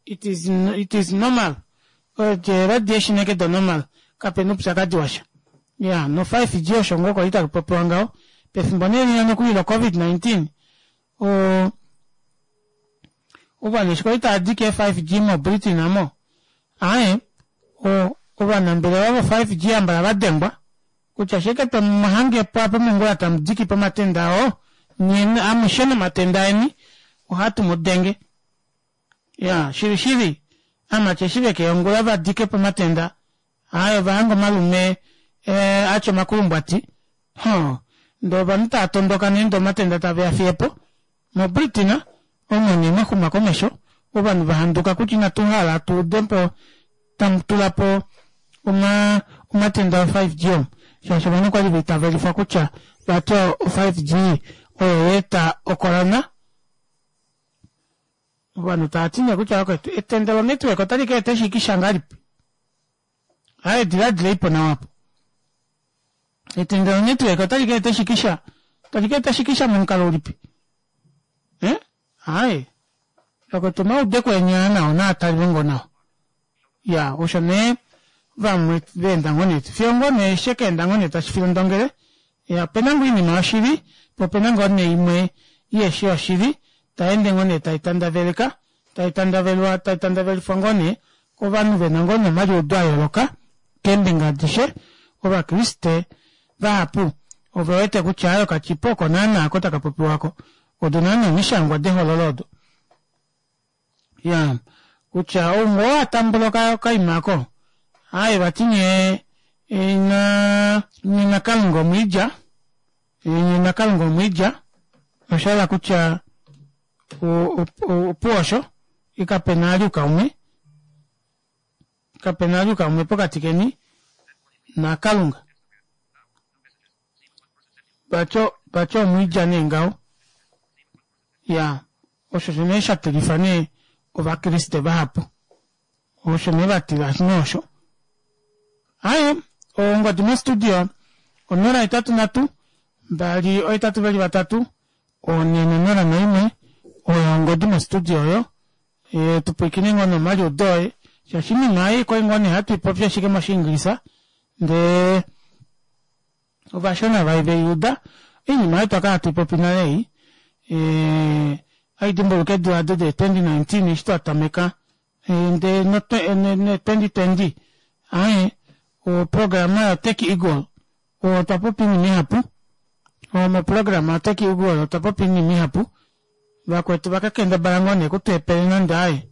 it is, it is normal, radiation eke do normal, kapena oupyakadi washa. Ya no 5G osho ngoo kwali taku popiwa ngaho pefimbo nee linya nokuli lo Covid 19 o ovanhu eshi kwali tava dike 5G moBritain amo aaye o ovanambelewa vo 5G ambala va dengwa kutya sheke tomuhangepo apa mongula tamu diki pomatenda oo nye amushe nomatenda eni ohatu mu denge ya shili shili amati eshi vekeya ongula va dike pomatenda Aye ovahanga omalume eh, atya omakulumbwati huh. Ndee ovanhu tava tondoka nee ndee omatenda tave a fiye po. MoBritain omo nee mwa xuma komesho, ovanhu va handuka kutya inatu hala tu ude po tamu tula po oma omatenda o 5G omu shaashi ovanhu okwali va itavelifwa kutya vati o 5G oyo ya eta ocorona. Ovanhu tava ti nee kutya vakwetu etenda lonetwork otali ka eta eshikisha ngahelipi? Aye diladilei po nawa apo. Etenda lonetwork otali ka eta eshikisha, tali ka eta eshikisha momukalo ulipi? Eh? Aye. Vakwetu omaudeko eni aa nao naa talwe ngoo nawa. Ya, osho nee vamwe va enda ngoo nee fiyo ngoo nee she ka enda ngoo nee tashi filondongele. Ya, opena ngoo oinima yoshili, po opena ngoo nee imwe iheshi yoshili, tai ende ngoo nee tai tandaveleka, tai tandavelwa, tai tandavelifwa ngoo nee kovanhu vena ngoo nee omaliudo a yooloka keembinga adishe. Ovakriste vahapu ove wete kutya aaye okachipa oko naana ako taka popiwa ko, odo naana omishangwa dehololo odo. Ya, kutya ou ngoo a tambula okaima ako, aaye vati nye ina nye naKalunga omwiidja, nye naKalunga omwiidja, osha hala kutya opuwo osho, kape na vali oukaume, kape na vali oukaume pokati keni naKalunga. Vati vati omwiidja nee ngaho. Ya, osho osho nee sha tilifa nee Ovakriste vahapu. Osho nee va tila nee osho. Aye, ongodi mostudio 083 282 401 oyo ongodi mostudio oyo. E, tu pwilikine ngoo nomaliudo oye shaashi oinima ei kwali ngoo nee hatu i popi ashike moshiingilisa ndee ovashona vai ve i uda oinima oyo twa kala hatu i popi nale ei e, hai dimbuluka eedula ado de 2019 eshi twa tameka e, ndee no 2020 aye oprograma yoTech Eagle otwa popi oinima ihapu moprograma yoTech Eagle otwa popi oinima ihapu Vakwetu va ka kendabala ngoo nee kutu epele nande aaye.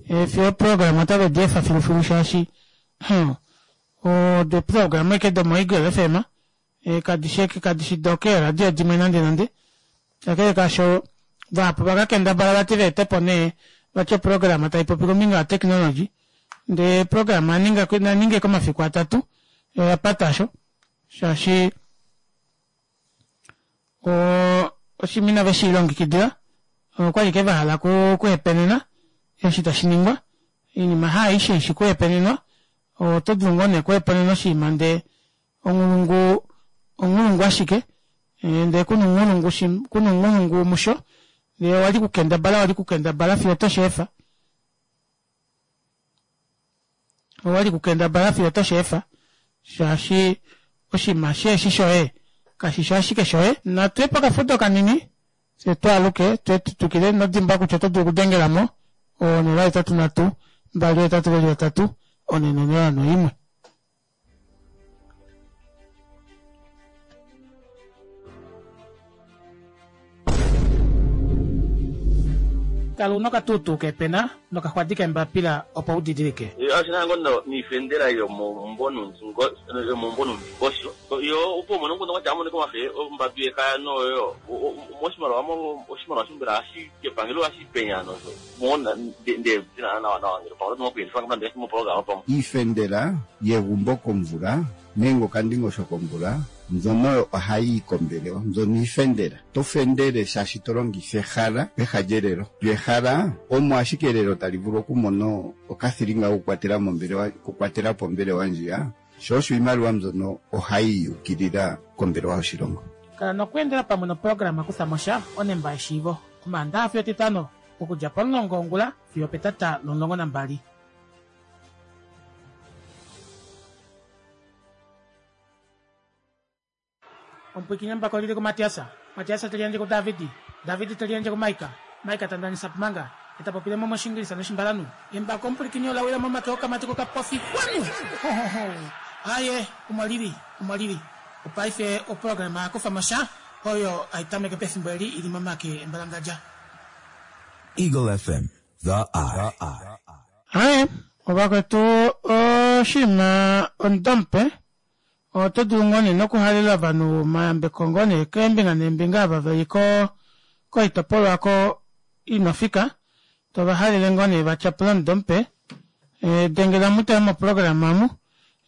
Fiyo eeprograma otave di efa filufilu shaashi odo eeprograma ashike domoEagle FM kadi shi kadi shi dokeeradio dimwe nande nande. Kakele kaasho vahapu vaka kendabala vati va ete po nee vati oprograma tai popi kombinga yoteknologi ndee eeprograma naninge komafiku atatu oya pata sho shaashi oshinima inave shi longekidila okwali ke vahala kuhepenena eshi tashi ningwa oinima haaishe ishi kuhepenenwa oto dulu ngoo nee kuhepenena oshinima ndee onghulungu onghulungu ashike ndee kuna ounghulungu kuna ounghulungu musho ndee owali kukendabala wali kukendabala fiyo oto sheefa owali kukendabala fiyo oto sheefa shaashi oshinima sheeshi shoye kashishi ashike shoye. Natu ye pokafudo kanini fye twaaluke twe tu twikile ino dimbwa kutya oto dulu okudengela mo 083 283 401. Kala una okatuutuu keepena nokaxwadi keembapila opo u didilike. Oshi na ngo niifendela yomomumvo nuundingosho yo opo umone omukundu kwatya amonike omafe ombadu yekaya noyo moshimaliwa oshimaliwa mbela ohashi kepangelo ohashi penya nosho mo nde nawa nawa ngele pamwe oto okuyelifa nande moprograma pamwe. Iifendela yegumbo komvula nenge okandingosho komvula mbyono oyo ohayi yi kombelewa mbyono iifendela. To fendele shaashi to longitha ehala peha lyelelo. Lyo ehala omo ashike elelo tali vulu okumona okathilinga kokukwatela mombelewa okukwatela po ombelewa ndjiya, sho osho iimaliwa mbyono ohayi yi ukilila kombelewa yoshilongo. Kala nokweendela pamwe noprograma Kutha mo sha, onemba yeshiivo, Omaandaha fiyo Etitano, okudja pomulongo wongula fiyo opetata lomulongo nambali. Omupwiikini embako oli li kuMatias, Matias te liyandje kuDavid, David te liyandje kuMaika, Maika ta ndanisa Pumanga, e ta popile mo mOshiingilisa nOshimbalanhu. Embako omupwilikini ola wila momake okamati kokapofi. Xwanu! Ho-ho-ho! Aaye, omo li li, omo li li. Opaife oprograma ya kufa mo sha, oyo hai tameke pefimbo eli i li momake embalangadja. Eagle FM, The Eye. Aaye, ovakwetu oshinima omudo mupe Oto dulu ngoo nee nokuhalela ovanhu omayambeko ngoo nee keembinga neembinga ava veli ko koitopolwa oko ino fika, to va halele ngoo nee va tyapule omudo mupe. Dengela mutale moprograma omu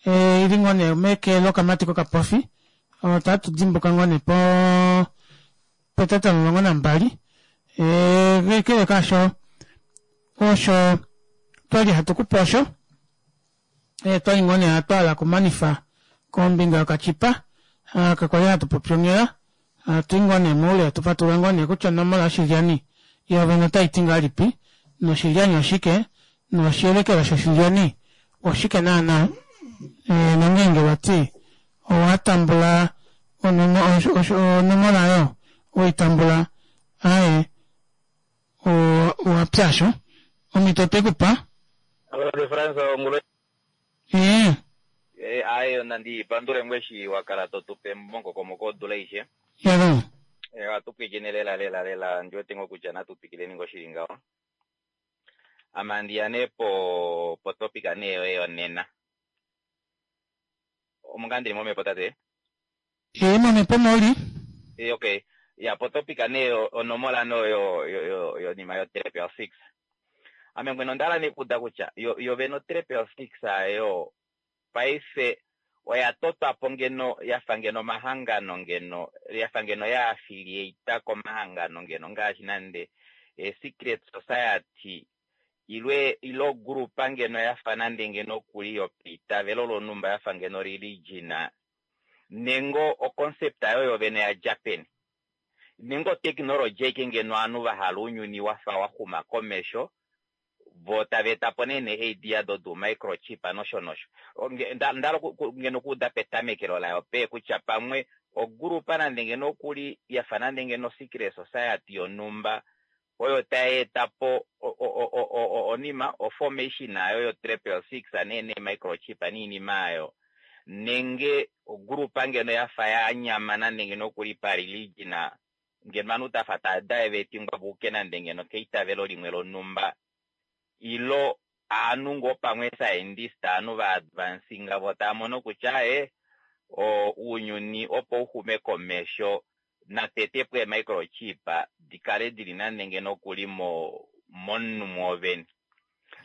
ili ngoo nee meke lokamati kokapofi, otatu dimbuka ngoo nee po petata 12. Kakele kaasho osho twali hatu kupe osho. Twali ngoo nee hatu hala okumanifa kombinga yokachipa aka kwali hatu popi onghela, hatu i ngoo nee moule hatu fatulula ngoo nee kutya onomola yoshilyani yoovene otai ti ngahelipi noshilyani oshike noshiyelekela shoshilyani oshike naana nongeenge vati owa tambula onomola oyo owei tambula aaye owa pya sho omhito otwe ku pa. Brother Frans ongulo. Ee. Eh, aye nandi pandule ngwe eshi wa kala to tu pe momukokomoko wodula aishe. Yalo. Eh, ohatu pwilikine lela lela lela ndi wete ngoo kutya natu twikileni ngoo shili ngaho. Ame andi ya nee po po topic nee yoye yonena. Omo ngaa ndili momhepo tate? Ee, momhepo omo uli. Ee, okay. Ya, potopic nee onomola no yo yo yo yonima yo triple six. Ame mwene onda hala nee kuuda kutya yo yo vene o triple six ayo paife oya totwa po ngeno ya fa ngeno omahangano ngeno ya fa ngeno ya affiliate komahangano ngeno ngaashi nande e secret society ilwe ile ogrupa ngeno ya fa nande ngeno okuli yopeitavelo lonhumba ya fa ngeno religion Nenge o concept ayo yovene ya dja peni? Nenge o technology aike ngeno ovanhu va hala ounyuni wafa wa xuma komesho vo tava etapo nee nee idea do microchip nosho nosho. Nda hala ngeno okuuda petamekelo layo pee kutya pamwe ogrupa nande ngeno okuli yafa nande ngeno secret society yonhumba oyo tai eta po onima, o-formation ayo yo triple six nee nee microchip niinima ayo, nenge ogrupa ngeno ya fa ya nyama nande ngeno okuli pa religion, ngeno ovanhu tafa tava divetingwa vuuke nande ngeno keitavelo limwe lonhumba. Ilo aanhu ngoo pamwe scientist aanhu va advancinga vo tava mono kutya ee ounyuni opo u xume komesho natete po eemicrochip di kale dili nande ngeno okuli mo momunhu mwoovene.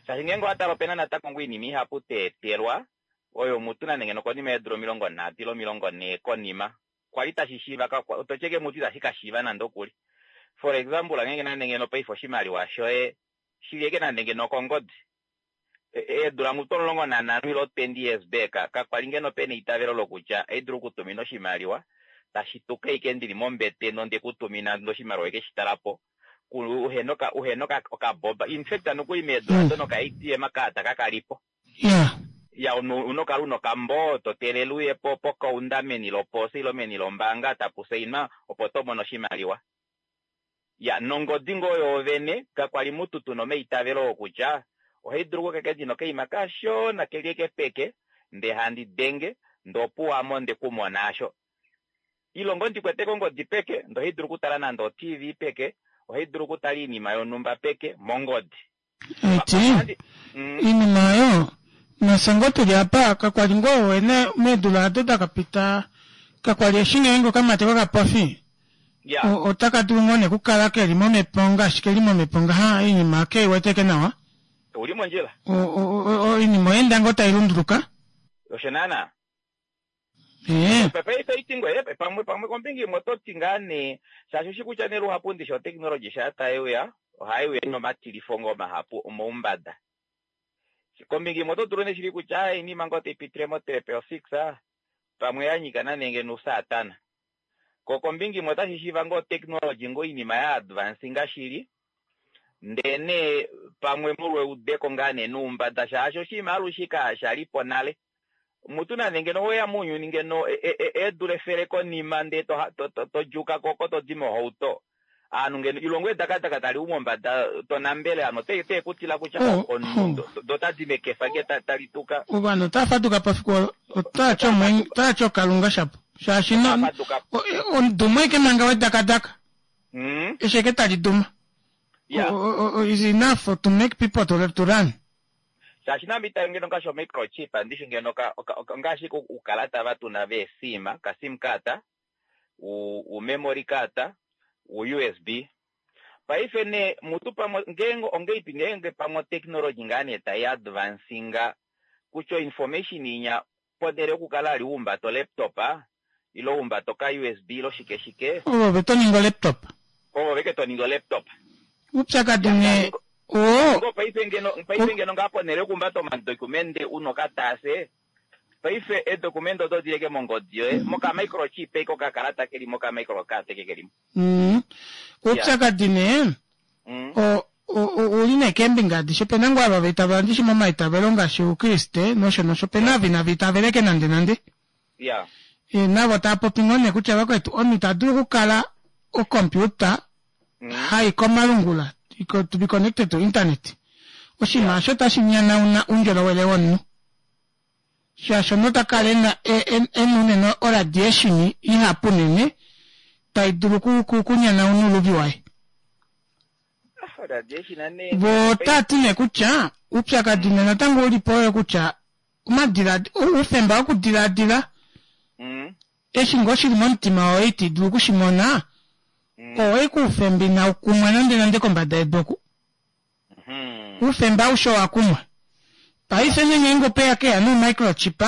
Shaashi ngeenge owa tala opena natango ngoo oinima ihapu twa etelwa oyo mutu nande ngeno konima yeedula 30 ile 40 konima kwali tashi shiiva ka to tye ke mutu itashi ka shiiva nande okuli. For example ngeenge nande ngeno paife oshimaliwa shoye shili eke nande ngeno okongodi eedula mutu 15 ile 20 years back kakwali ngeno pena eitavelo lokutya ohaidulu okutumina oshimaliwa tashi tuka ashike ndili mombete nonde kutumina ndee oshimaliwa eke shi talapo uhena uhena okaboba in fact nokuli meedula do noka ATM card kakalipo ya una okala una okambo to teelele uye po pokaunda meni loposa ile meni lombaanga tapu sainwa opo to mono oshimaliwa. Ya, nongodi ngoo yoovene, kakwa li mutu tu na omaitavelo oo kutya ohai dulu okukala ndi na okaima kashona ke li eke peke, ndee handi denge, ndee opuwo ame onde ku mona asho. Ile ngoo ndi kwete kongodi peke, ndee ohai dulu okutala nande o-TV peke, ohai dulu okutala oinima yonhumba peke, mongodi. Eti, iinima oyo, nafye ngoo tuli apa, kakwa li ngoo wene meedula ado da ka pita, kakwa li eshi ngeenge okamati kokapofi otaka dulu ngoo nee okukala ke li momhepo ngaashi ke li momhepo ngaha, oinima ke i weteke nawa. Ouli mondjila. Oinima oya enda ngoo tai lunduluka. Osho naana. Paife iti ngoye pamwe pamwe kombinga imwe oto ti ngaa nee shaashi ushi kutya nee luhapu ndishi oteknologi shaa tai uya ohai uya ina omatilifo ngoo mahapu omoumbada. Kombinga imwe oto dulu nee shili kutya oinima ngoo tai pitile mo triple six pamwe ya nyika nande ngeno ousatana. Ko kombinga imwe otashi shiiva ngoo oteknologi ngoo oinima ya advancinga shili ndee nee pamwe molwa eudeko ngaa nee noumbada shaashi oshinima alushe kasha li po nale. Mutu nande ngeno oweya mounyuni ngeno eedula efele konima ndee to djuuka ko oko to di mohauto aanhu ngeno ilongo edakadaka tali u mombada to nambele ovanhu ote ku tila kutya omunhu do tadi mekefa nge tali tuka. Ovanhu otava faduka po fiku olo otava ti okalunga shapo shaashi omudumo ashike manga wedakadaka eshi ashike tali duma is enough to make people to run. Shaashi name ita ngeno ngaashi omicrochip ndishi ngeno ngaashi uukalata va tuna veesim, ka sim card, u memory card, u USB. Paife nee mutu pamwe ngeenge ongeipi ngeenge pamwe otechnology ngaa nee tai advancinga kutya oinformation inya ponhele yokukala ali uhumbata olaptop ile uhumbata oka USB ile oshike shike. Ove to ningi olaptop. Ove ke to ningi olaptop. Upyakadi nee oo. Ngo paife ngeno paife ngeno ngaa ponhele yokuhumbata omadokumende una okataase paife eedokumende oto di leke mongodi yoye moka microchip eke okakalata keli moka microcard eke kelimo. Upyakadi nee ouli nee keembinga adishe opena ngoo ava vaitavela ndishi momaitavelo ngaashi oukriste nosho nosho opena ava inava itaveleke nande nande. Navo tava popi ngoo nee kutya vakwetu omunhu ita dulu okukala okompiuta hai komalungula to be connected to internet oshinima osho otashi nyanauna oundjolowele womunhu shaashi omunhu ota kala ena ena unene oradiation ihapu unene tai dulu okunyanauna ouluvi waye. Vo otava ti nee kutya oupyakadi nee natango u li po oyo kutya oufemba wokudiladila eshi ngoo shili momutima woye ito dulu oku shi mona, oo ashike oufemba inau kumwa nande nande kombada yedu oku. Oufemba aushe owa kumwa. Paife nee ngeenge opeya keya noumicrochip,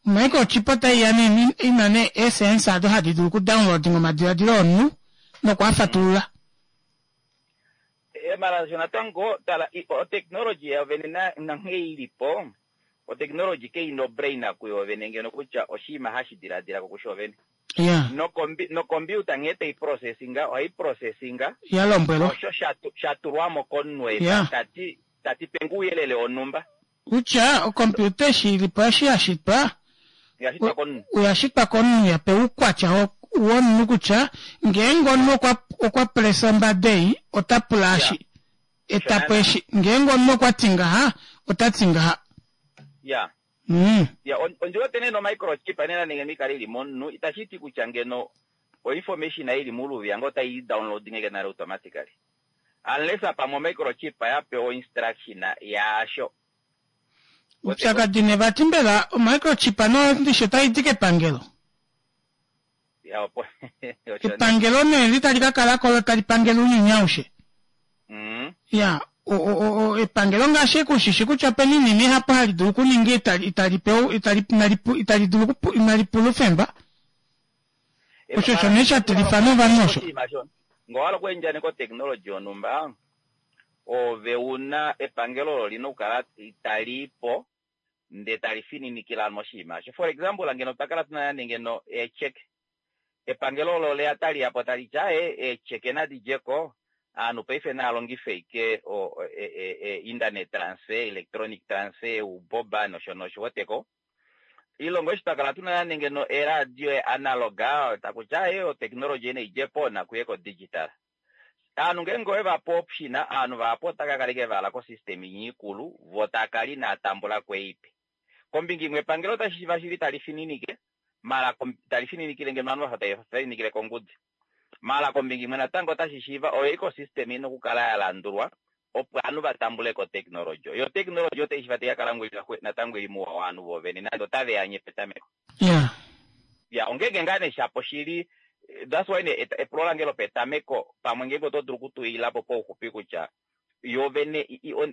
omicrochip otai ya nee ina nee eesensa odo hadi dulu okudownloadinga omadiladilo omunhu noku a fatulula. Mara sho natango tala otechnology yovene nanghee ili po, otechnology kai na obrain kuyovene ngeno kutya oshinima hashi diladila ko kusho vene. Nokombiuta nghee tai processinga, ohai processinga Ya lombwelwa. osho sha tulwa mo komunhu e tati tati penge ouyelele wonhumba. Kutya okompiuta eshi ili po eshi ya shitwa, Ya shitwa komunhu. oya shitwa komunhu ya pewa oukwatya womunhu kutya ngeenge omunhu okwa okwa pressa ombada ei ota pula eshi, eta po eshi, ngeenge omunhu okwa ti ngaha ota ti ngaha. Ya, ondi wete nee nomicrochip nena nenge mikale ili momunhu itashi ti kutya ngeno oinformation ili muluvi yange otai downloading eke nale automatically. Unless pamwe microchip ya pewa instruction yaasho. Upyakadi ne vati mbela omicrochip no ndishe otai di kepangelo. Ya opo. Epangelo nee li tali ka kala ko tali pangele ounyuni aushe. Ya epangelo ngaashi kushishi kutya opena iinima ihapu hali dulu okuninga itali pewa itali itali dulu inali pula oufemba. Osho osho nee sha tilifa novanhu osho. Ngee owa hala okuendjaneka oteknologi yonhumba, ove una epangelo olo lina okukala tali i po ndee tali fininikile ovanhu moshinima osho. For example, ngeno otwa kala tuna nande ngeno eecheke, epangelo olo oleya tali ya po tali ti aaye eecheke nadi dje ko, ovanhu paife nava longife ashike internet transfer, electronic transfer, ouboba nosho nosho, weteko. Ilongo eshi twa kala tuna nande ngeno eeradio eanalog, taku ti aaye oteknologi ei nai dje po nakuye kodigital. Aanhu ngeenge owe va pe option, aanhu vahapu otava ka kala ashike va hala kosystem inya ikulu, vo tava kala inava tambula ko ei ipe. Kombinga imwe epangelo otashi shiiva shili tali fininike, maala tali fininikile ngeno ovanhu vafa tave fininikile kongudi. Maala kombinga imwe natango otashi shiiva oyo ecosystem ina okukala ya landulwa opo ovanhu va tambule ko oteknologi. Yo oteknologi otai shiiva tai ka kala natango ili mouwa wovanhu voovene nande otave anye petameko. Ya, ongeenge ngaa nee shapo shili, that's why nee epulo lange lopetameko pamwe ngeenge oto dulu okutuila po pauxupi kutya yo vene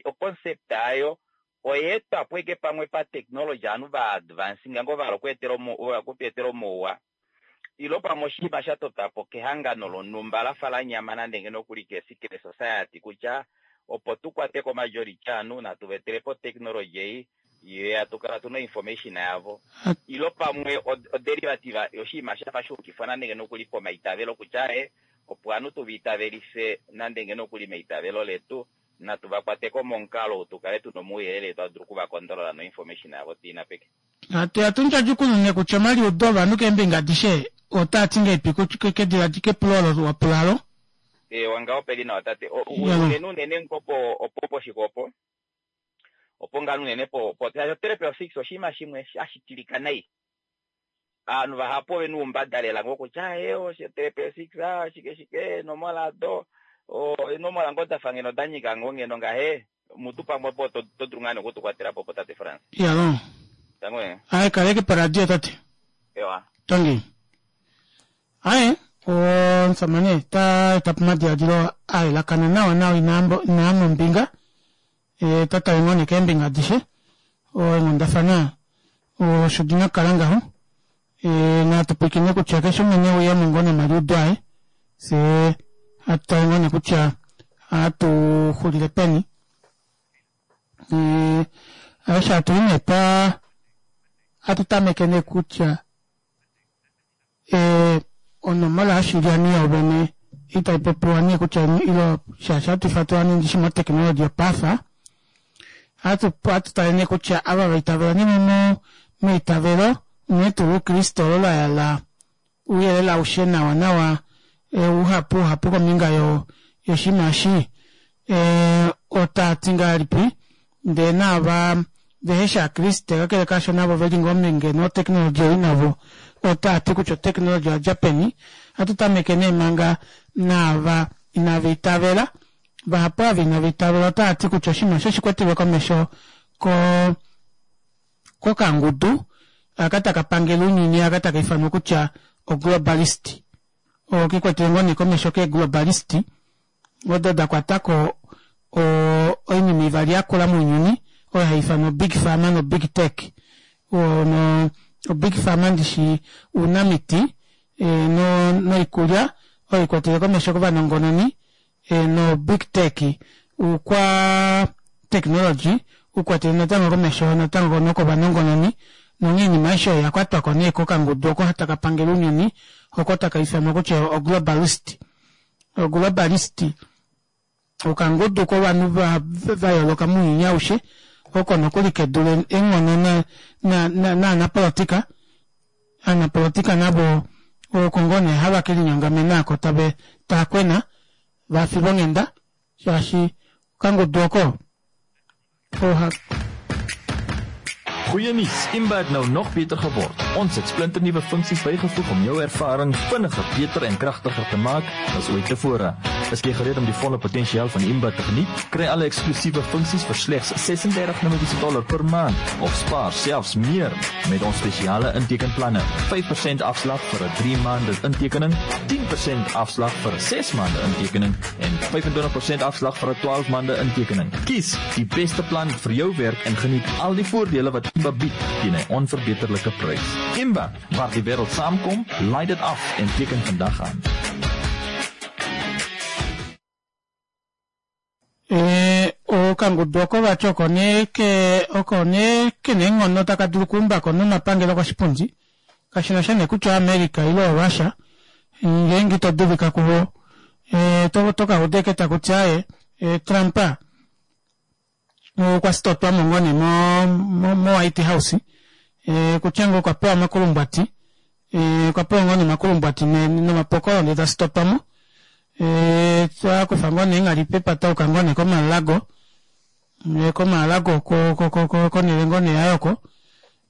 oconcept yayo oya etwa po ashike pamwe pa technology ovanhu va advancinga ngoo va hala okutu etela omauwa ilo pamwe oshinima sha totwa po kehangano lonhumba la fa la nyama nande ngeno okuli ke secret society kutya opo tu kwate ko majority ovanhu natu va etele po technology ei yo ya tukala tuna information yavo ilo pamwe oderivative yoshinima shafa shuukifwa nande ngeno okuli pomaitavelo kutya opo ovanhu tuva itavelife nande ngeno okuli meitavelo letu natu va kwateko momukalo ou tukale tuna omauyelele twa dulu okuvakondolola noinformation yavo tuina peke. Hatu ya tundjadjukunune kutya omaliudo ovanhu keembinga adishe otaa ti ngahelipi kepulo olo wa pula alo? Eewa ngaho peli nawa tate. Unene unene ngo po opo poshike opo opo ngaa unene po po triple six oshinima shimwe hashi tilika nai. Ovanhu vahapu ove na oumbada lela ngoo kutya osho triple six shike shike eenomola ado eenomola ngoo dafa ngeno da nyika ngoo ngeno ngahe mutu pamwe opo to dulu ngaa nee okutukwatela po opo tate Frans. Iyaloo. Tango ee. Aye kaleke poradio tate. Ewa. Tangi. Aye omusamane ta eta po omadiladilo a yelakana nawa nawa inaa mombinga ta tale ngoo nee keembinga adishe eenghundafana osho di na okukala ngaho natu pwilikine kutya keshe umwe ne uye mo ngoo nomaliudo aye fye hatu tale ngoo nee kutya ohatu xulile peni osho hatu i nee pa hatu tameke nee kutya onomola yoshilyani yovene itai popiwa nee kutya ilo shaashi hatu ifatula nee ndishi moteknologi yopafa hatu tale nee kutya ava vaitavela nee meitavelo unene tuu loukriste olo la yala ouyelele aushe nawa nawa uhapu uhapu kombinga yoshinima eshi otaa ti ngahelipi ndee naava vehe shi aakriste kakele kaasho navo veli ngoo omhinge noteknologi ei navo otaa ti kutya oteknologi oya dja peni. Ohatu tameke nee manga naava inava itavela. Vahapu ava inava itavela otava ti kutya oshinima osho oshikwetelwe komesho ko kokangudu aka taka pangele ounyuni aka taka ifanwa kutya oglobalist. Okikwetele ngoo nee komesho keeglobalist odo da kwatako oinima ivali yakula mounyuni oyo hai ifanwa big pharma no big tech. No big pharma ndishi ounamiti noikulya oyo ikwetele komesho kovanongononi no big tech oukwa technology ukwatele natango komesho natango nokovanongononi nonghee oinima aishe oyo oyakwatwako nee kokangudu oko taka pangele ounyuni oko taka ifanwa kutya oglobalist. Oglobalist okangudu kovanhu va yooloka mounyuni aushe oko nokuli kedule eenghono naanapolotika. Aanapolotika navo oko ngoo nee hava ke linyongamena ako tave taakwena vafilwa onghenda shaashi okangudu oko oha Goeie nuus, Imba het nou nog beter geword. Ons het splinternuwe funksies bygevoeg om jou ervaring vinniger, beter en kragtiger te maak as ooit tevore. Is jy gereed om die volle potensiaal van Imba te geniet? Kry alle eksklusiewe funksies vir slegs 36 Namibiese dollar per maand of spaar selfs meer met ons spesiale intekenplanne. 5% afslag vir 'n 3 maande intekening, 10% afslag vir 'n 6 maande intekening en 25% afslag vir 'n 12 maande intekening. Kies die beste plan vir jou werk en geniet al die voordele wat Imba bied teen 'n onverbeterlike prys. Imba, waar die wêreld saamkom, laai dit af en teken vandag aan. Eh, okangudu oko vati oko nee ke oko nee kena eenghono taka dulu okuumbako nomapangelo koshipundi kashina sha nee kutya oAmerica ile oRussia ngeenge ito dulika kuvo eh, to, to ka uda eke taku ti aaye eh, Trump okwa sitotwamo ngoo nee mo, mo, mo White House eh, kutya ngoo okwa pewa omakulumbwati eh, okwa pewa ngoo nee omakulumbwati nomapokolo ndee ta sitotwamo eh, akufa ngoo nee eenghali pepata auka ngoo nee komalago eh, komalago konele ngoo nee yaye oko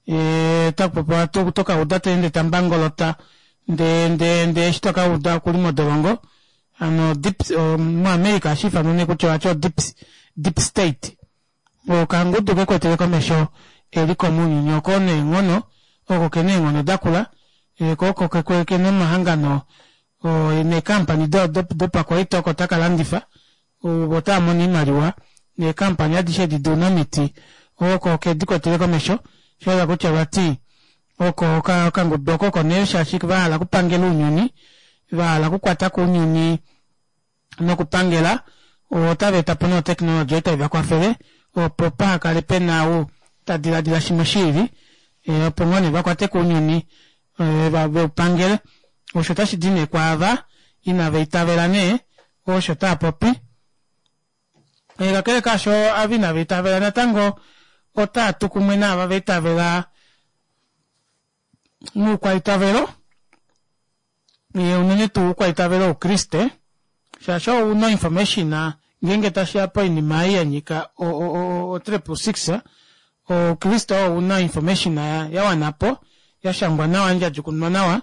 eh, takupopiwa tokauda teende tambangolota ndee ndee ndee eshi tokauda okuli modolongo hano deep muAmerica ohashi ifanwa nee kutya vati o deep, deep state okangudu kekwetele komesho eliko mounyuni oko neenghono oko kena eenghono dakula eh, ko oko kena omahangano neekampani dopakwaita oko taka landifa otava mono oimaliwa neekampani adishe edi dounamiti oko kedikwetele komesho shahala kutya vati oko okangudu oko oko nee shaashi vahala okupangela ounyuni vahala okukwata ko ounyuni nokupangela otava eta po nee oteknologi oyo tai vakwafele opo pahakale pena ou ta diladila shimwe shiili eh, opo ngoo nee vakwate ko ounyuni eh, veupangele osho otashi di nee kwaava inava itavela nee osho tava popi eh, kakele kaasho ava inava itavela natango otaa tu kumwe naava va itavela moukwaitavelo unene tuu oukwaitavelo woukriste shaashi ou una information ngeenge tashiya poinima ei yanyika o 666 oukriste oo una information ya wanapo yashangwa nawa yandjadjukununwa nawa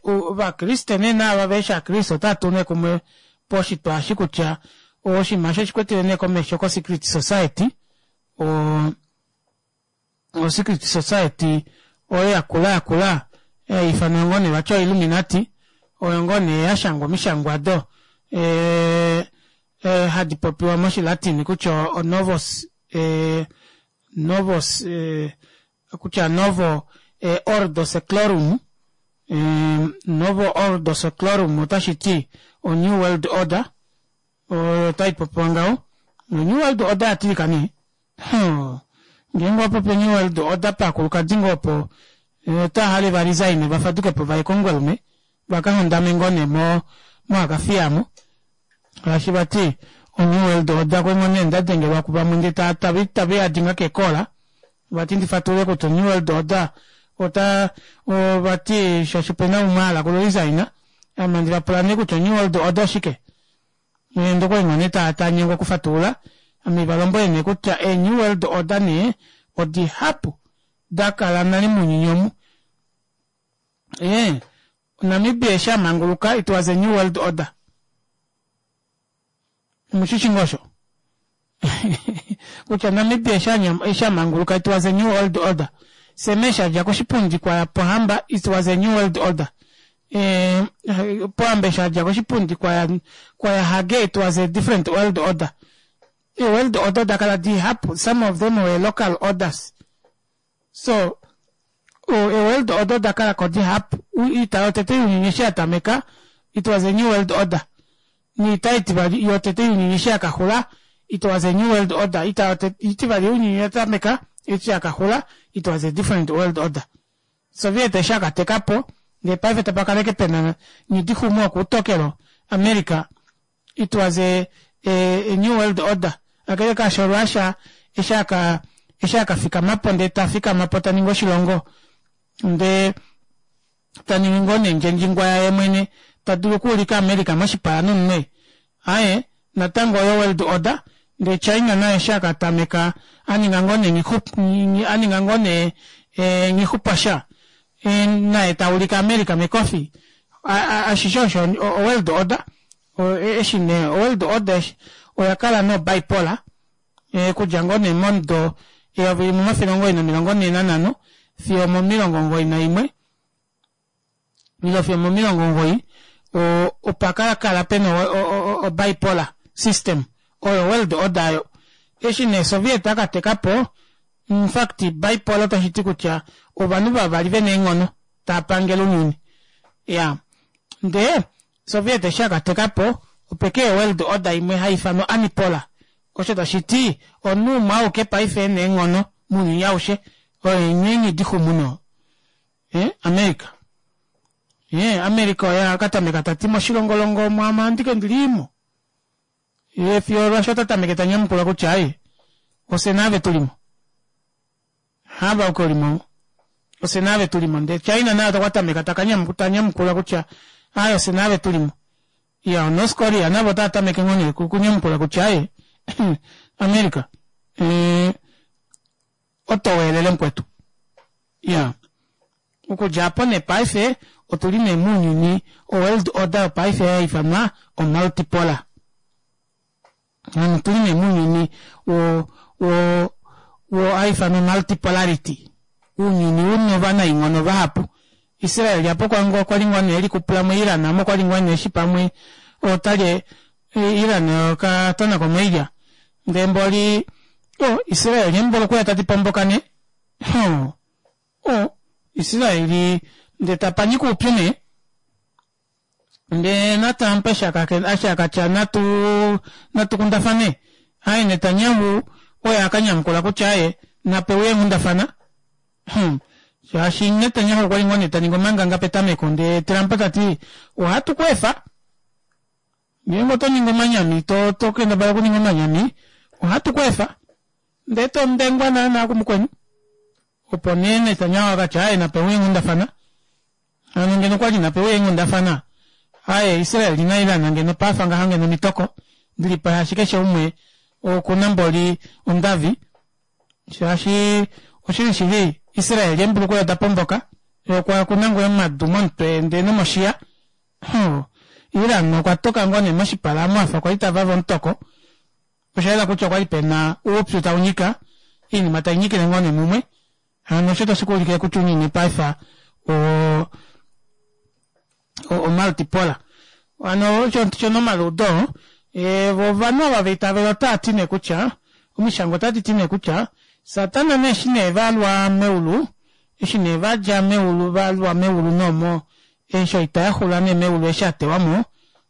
ovakriste nee naava veheshi ovakriste otava tu nee kumwe poshitwa eshi kutya oshinima eshi oshikwetele nee komesho ko secret society o o secret society oyo yakula yakula haiifanwa ngoo nee vati oilluminati oyo ngoo nee yashangwa omishangwa odo e, e, hadi popiwa moshilatin kutya onovos e, novos e, kutya novo e, ordo seclorum e, novo ordo seclorum otashi ti o new world order oyo tai popiwa ngaho o new world order yatilika nee Ngeenge owa popi oNew World Order paakulukadi ngoo opo otava hale va resign va faduke po vaye kOmungwelume va ka hondame ngoo nee mo moAkafiya mo shaashi vati oNew World Order kwengoo nee nda dengelwa kuvamwe ndee ta tava tava yadinga keekola vati ndi fatulule kutya oNew World Order ota vati shaashi opena umwe a hala oku resign ame handi va pula nee kutya oNew World Order oshike? Nghee okwali ngoo nee ta nyengwa okufatulula, ame va lombwele nee kutya ee New World Order nee odihapu da kala nale mounyuni omu. Ee, Namibia eshi a manguluka it was a New World Order. Omushishi ngoo osho? Kutya Namibia eshi a manguluka it was a New World Order. Sam eshi a dja koshipundi kwa Pohamba it was a New World Order. Eh, Pohamba eshi a dja koshipundi kwa kwa Hage it was a different world order. E world order oda kala dihapu, some of them were local orders. So, e world order oda kala ko dihapu. Oita yotete younyuni eshi ya tameka it was a new world order. Niita itivali yotete younyuni eshi ya ka xula it was a new world order. Oita itivali younyuni ya tameka eshi ya ka xula it was a different world order. Soviet eshi a ka teka po, ndee paife tapa kala ashike pena Nghidixumu wokuutokelo, America, it was a, a, a new world order. Kakele kaasho Russia eshi a ka, eshi a ka fikama po ndee ta fikama po ta ningi oshilongo, ndee ta ningi ngoo nee ndjendjingwa yaye mwene, ta dulu okuulika America moshipala nomunwe. Aaye, natango oyo world order, ndee China naye eshi a ka tameka a ninga ngoo nee nghi, a ninga ngoo nee nghixupasha, naye ta ulike America mekofi. Ashishe osho o world order. Eshi nee oworld order oya kala no bipolar okudja ngoo nee momudo 1945 fiyo omo 91 ile fiyo omo 90 opa kala kala pena o bipolar system oyo world order ayo. Eshi nee Soviet aka teka po, in fact bipolar otashi ti kutya ovanhu vavali vena eenghono tava pangele ounyuni. Iyaa, ndee Soviet eshi aka teka po, opekeya world order imwe hai ifanwa unipolar, osho tashi ti omunhu umwe auke paife ena eenghono mounyuni aushe, oyo enyenye dixumu no America. America oye aka tameka tati moshilongolongo omo ame andike ndili mo. Ye fiyo olwasho ota tameke ta nyamukula kutya ai ofye naave tulimo. Hava auke ulimo ofye naave tulimo. Ndee China naye okwa tameka ta nyamukula kutya ai ofye naave tulimo. Iya North Korea navo otava tameke ngoo nee kunyamukula kutya ai America oto weelele mukwetu. Iya okudja apo nee paife otuli nee mounyuni oworld order yopaife haifanwa omultipolar. Hano otuli nee mounyuni wo wo wo haifanwa multipolarity. Ounyuni una ovanainghono vahapu. Israel apo kwali ngoo nee elikupula mo Iran amo kwali ngoo nee eshi pamwe otalye Iran okatona komoilya. Ndee mboli o Israel embolo okuya tati pomboka nee. O Israel ndee tapanyika oupyu nee. Ndee naTrump eshi akatya natu natukundafane, aye Netanyahu oye akanyamukula kutya aye napeuye eenghundafana. Shaashi Netanyahu okwali ngoo nee taningi omanganga petameko ndee Trump tati ohatu ku efa ngeenge oto ningi omanyami to to kendabala okuninga omanyami ohatu ku efa ndee to ndengwa naana kumukweni. Opo nee Netanyahu akatya aye napeuye eenghundafana. Hano ngeno okwali napewa eenghundafana aye Israel na Iran ngeno pafa ngaha ngeno omitoko dilipo shaashi keshe umwe okuna mboli ondavi shaashi oshili shili Israel embulukweya da pomboka okwa kuna ngoo omadu momutwe ndee nomoshiya Iran okwa toka ngoo nee moshipala amu afa kwali tavava omutoko osha yela kutya okwali pena oupyu taunyika oinima tainyikile ngoo nee mumwe Hano osho tashi ku ulikile kutya ounyuni paife o o multipolar. Hano osho shono omaluudo ovanhu ava vaitavela otava ti nee kutya omishangwa otadi ti nee kutya Satana nee eshi nee valwa meulu eshi nee vadja meulu valwa meulu nomo eshi oita yaxula nee meulu eshi atewamo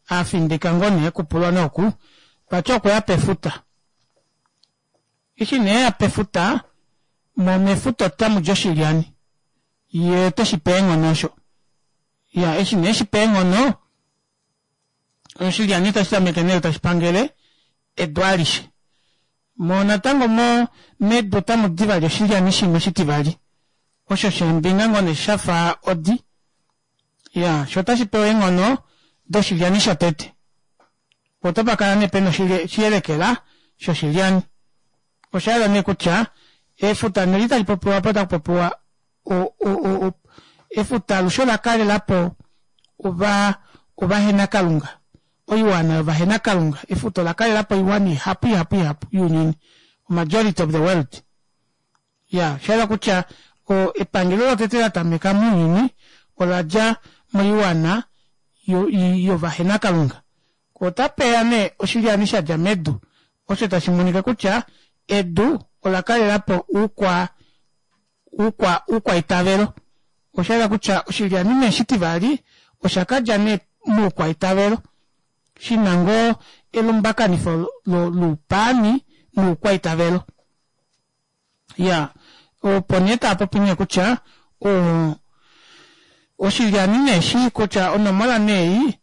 afindika ngoo nee kupulwa nooku vati okweya pefuta. Eshi nee ya pefuta, mo mefuta otamu di oshilyani. Ye ote shi pe eenghono osho. Ya, eshi nee shi pe eenghono, oshilyani otashi tameke nee tashi pangele edu alishe. Mo natango mo medu otamu di vali oshilyani shimwe shitivali, osho sheembinga ngoo nee sha fa odi. Ya, sho otashi pewa eenghono doshilyani shotete. Otapa kala nee pena oshiyelekela shoshilyani. Osha yela nee kutya efuta neli tali popiwa apa otaku popiwa efuta alushe ola kalela po ova ovahenakalunga, oiwana yovahenakalunga. Efuta ola kalela po oiwana ihapu ihapu ihapu younyuni, majority of the world. Ya, osha yela kutya epangelo lotete la tameka mounyuni ola dja moiwana yovahenakalunga. Otape ya nee oshilyani sha dja medu, osho tashi monika kutya edu ola kalela po oukwa, oukwa, oukwaitavelo. Osha yela kutya oshilyani nee shitivali osha ka dja nee moukwaitavelo, shi na ngoo elumbakanifo loupaani noukwaitavelo. Ya, opo nee tava popi nee kutya o, oshilyani nee shi kutya onomola nee ei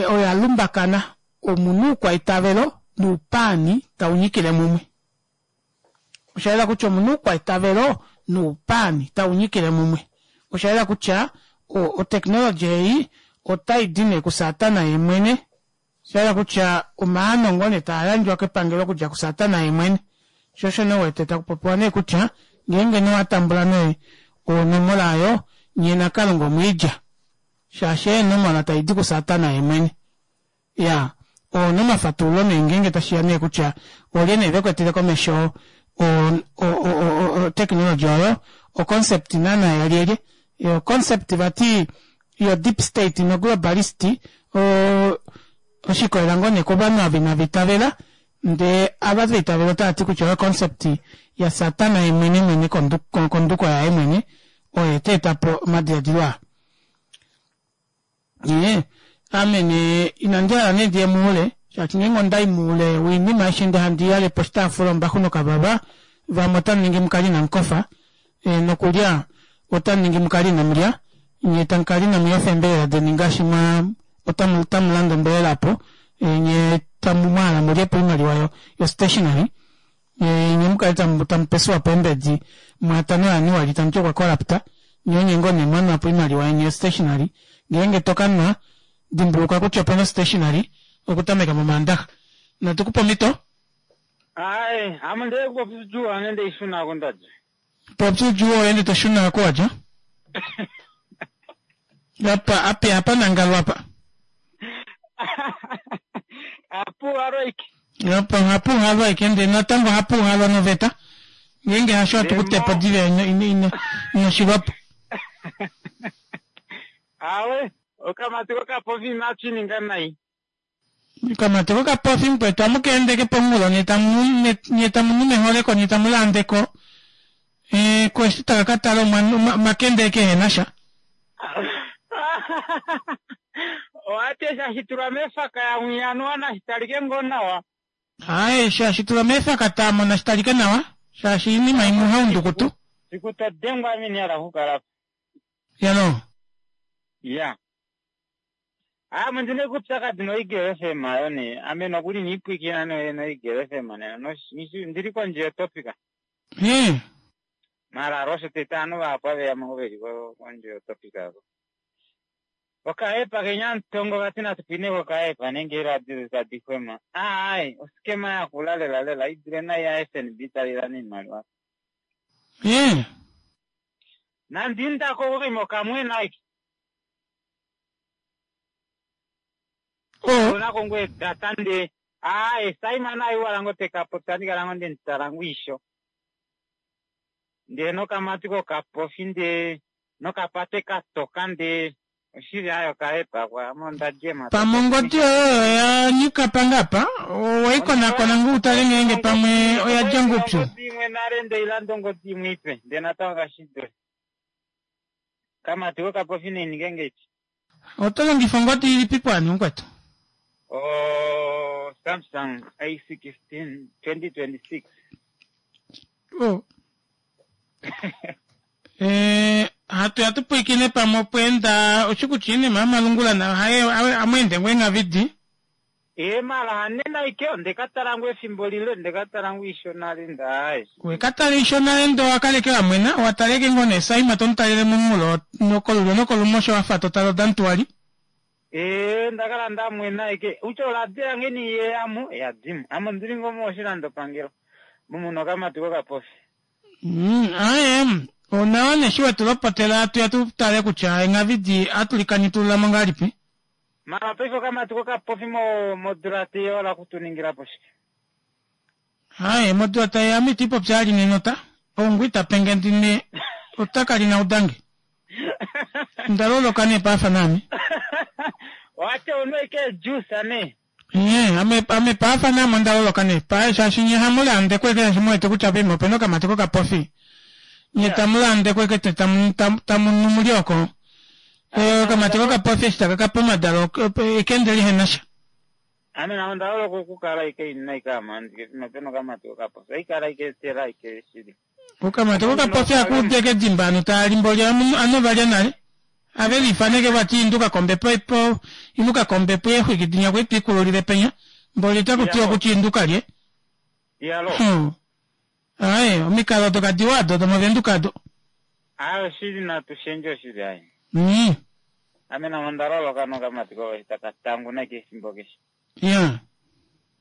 oya lumbakana, omu na oukwaitavelo noupaani tau nyikile mumwe. Osha yela kutya omu na oukwaitavelo noupaani tau nyikile mumwe. Osha yela kutya oteknologi ei otai di nee kuSatana ye mwene. Osha yela kutya omaano ngoo nee taa yandjwa kepangelo okudja kuSatana ye mwene. Sho osho nee wete taku popiwa nee kutya ngeenge nee owa tambula nee onomola oyo, nye naKalunga omwiidja. Shaashi eenomola tai di kuSatana ye mwene. Ya ouna omafatululo nee ngeenge tashiya nee kutya olye nee vekwetele komesho o technology oyo o concept naana yalyelye yo concept vati yo deep state no globalist o oshikolela ngoo nee kovanhu ava inava itavela ndee ava va itavela otava ti kutya oyo concept yasatana yemwene mwene konduko yaye mwene oye ta eta po omadiladilo aa. Ee, ame nee inandi hala nee ndiye muule, shaashi ngeenge onda i muule woinima aishe ndee handi yale poshitaafula ombaxu nokavava, vamwe otamu ningi mu kale inamu kofa, ee, nokulya otamu ningi mu kale inamu lya, nye tamu kala inamu yofa eembelela deni ngaashi mwa otamu otamu landa ombelela opo, ee, nye tamu mwa hala mulye po oimaliwa yo yo stationery, nye nye mu kale tamu tamu pesuwa po eembedi mwa tano yaAnuali tamu ti okwa corrupta, nye onye ngoo nee mwa nwa po oimaliwa yeni yo stationery, ngeenge to ka nwa dimbulukwa kutya opena ostationery okutameka mOmaandaxa. Natu ku pe omhito. Ae, ame ndee kupopya ane ndeishuna ko ndadja. Popya udjuu oye ndi to shuna ko wadja. Apa ape apa nangalwa apa. Apu halwa ike. Apa hapu halwa ike ndee natango hapu halwa noveta. Ngeenge hasho atu ku tepo diva ino ino ino ino shilwapo. Awe, okamati kokapofi inachininga nai. Okamati kokapofi mukwetu amukeendeke pomunghulo nye tamu nye tamu nu meholeko nye tamu landeko eh, ko eshi taka ka tala omakende kehena sha. Owati eshi hashi tulwa mefaka yamwiyanuwa nashi talike ngoo nawa. Aye, shaashi tulwa mefaka taamo nashi talike nawa, shaashi oinima imwe ohaundukutu. Siku to dengwa ame ina hala okukala po. Yalo. Ya. Ame ondina oupyakadi noEagle FM ayo nee. Ame nokuli niipwikina noEagle FM nena ndili kondje yotopic. Hee. Mara osho tete ovanhu vahapu aveya mo veli kondje yotopic avo. Okaepa kenyamutongo vati natu pwine kokaepa nenge eeradio tadi xwema. Aai, oskema yakula lela lela i dule nai yaFNB tali lana oimaliwa. Hee. Nandi indako kokima okamwena aike. Oh. Onako ngoo edata ndee aaye Simon aiwala ngoo teka popya andi kala ngoo ndemutala ngoo isho. Ndee nokamati kokapofi ndee nokapate katoka ndee oshili ayo okahepa kwa ame onda jema. Pamwe ongodi yoye oyo oya nyika pangapa, oweikonakona ngoo utale ngeenge pamwe oya dja ngoo oupyu. Ongodi imwe nale ndeilanda ongodi imwe ipe ndee natango kashi dule. Kamati kokapofi naininge ngeipi. Oto longifa ongodi ilipi po ani mukwetu? O Samsung A16 2026. Oh. Eh, hatu ya tu pwiikine pamwe opweenda oshikuti iinima yomalungula nayo haye amweende ngoo eenghavidi. Ee mara hanena ike ondeka tala ngoo efimbo lile ndeka tala ngoo isho nale ndaaye. Weka tala isho nale ndee owakaleke wamwena wataleke ngoo nee Saima tomutalele momunghulo nokolulyo nokolumosho wafa totale odantuwali. Ee ndakala ndamwena ike utya oradio yange nee yeyamo yadimo ame ondili ngoo moshilandopangelo mumuna okamati kokapofi. Mm, aye onawa nee eshi wetu lopotela atuya tu tale kutya enghavidi atu likanitulula mo ngahelipi. Mara paife okamati kokapofi mo modula teiya ola kutuningila po shike? Aye modula taiya ame iti popya ali nenota oungu ita penge ndine ota kali naudange. Onda loloka nee paafa naame. Owati ounwa ike ejuice nee? Ee, ame, ame paafa naame onda loloka nee pa, shaashi nye hamu lande kweke shaashi mu wete kutya poima opena okamati kokapofi. Nye tamu lande kweke te tamu, tamu, tamu nu mulye oko. Eh, okamati kokapofi eshi taka kapa omadalo, ekende lihena sha. Ame nao onda loloka okukala ike ina ike amandike pima pena okamati kokapofi. Oikala ike etela ike shili. Okamati kokapofi akuudeke edimba anu taa li mboli anu valya nale. Ave lifaneke vati induka kombepo po inuka kombepo eexwiki dinya kwe twikululile penya mboli taku tiwa kutya induka lye. Iyalo. Hmm. Aye, omikalo odo kadiwa ado domovenduka ado. Aye oshili natu shendje oshili aye. Ame namo onda loloka nokamati kokapofi taka tanguna ike efimbo keshe. Ya.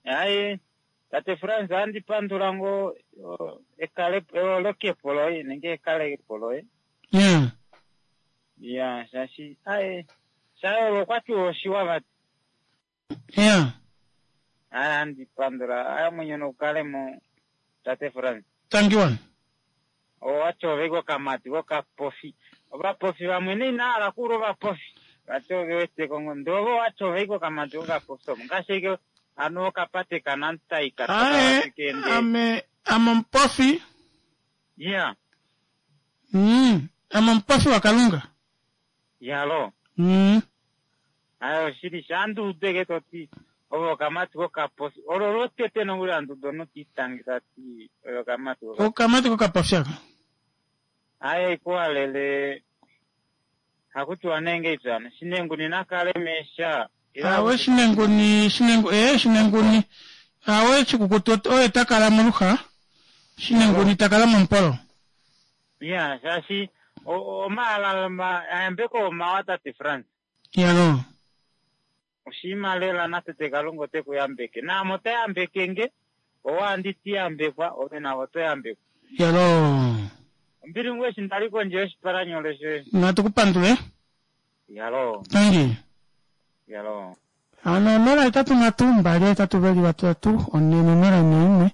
Aye tate Frans ohandi pandula ngoo ekale eholokepo loye nenge ekalepo loye. Ya. Ya shaashi aye shayoolola okwa tiwa oshiwa vati. Ya. Aya andi pandula aya mwenyo nokukale mo tate Frans. Thank you. Owati ove kokamati kokapofi. Ovapofi vamwe nee inava hala okuula ovapofi. Vati ove wete ko ngoo. Ndele ove owati ove kokamati kokapofi omo. Ngaashi ashike anu okapate kaNamtai ka toka Ae, vati keende. ame ame omupofi. Yeah. Ame omupofi waKalunga. Yalo. Aye oshili sha andi udu eke toti ove okamati kokapofi. Olo lwotete nokuli handi udu omunhu ti itange tati oye okamati kokapofi. Okamati kokapofi aka. Aye ikuwalele hakutiwa nee ngeipi hano shinenguni nakale meesha ile Awe hakuti shinenguni shinengu ee shinenguni awe shikukutu oye ta kala moluxa shinenguni ta kala momupolo. Ya shaashi omahala ayambeko omawa tate Frans. Iyaloo. Oshinima lela natete Kalunga ote ku yambeke. Naame ota yambeke nge, owe andi ti yambekwa, ove nave oto yambekwa. Iyaloo. Ombili ngoo eshi ndali kondje yoshipalanyole shoye. Natu ku pandule. Iyaloo. Tangi. Iyaloo. Hano 083 283 401.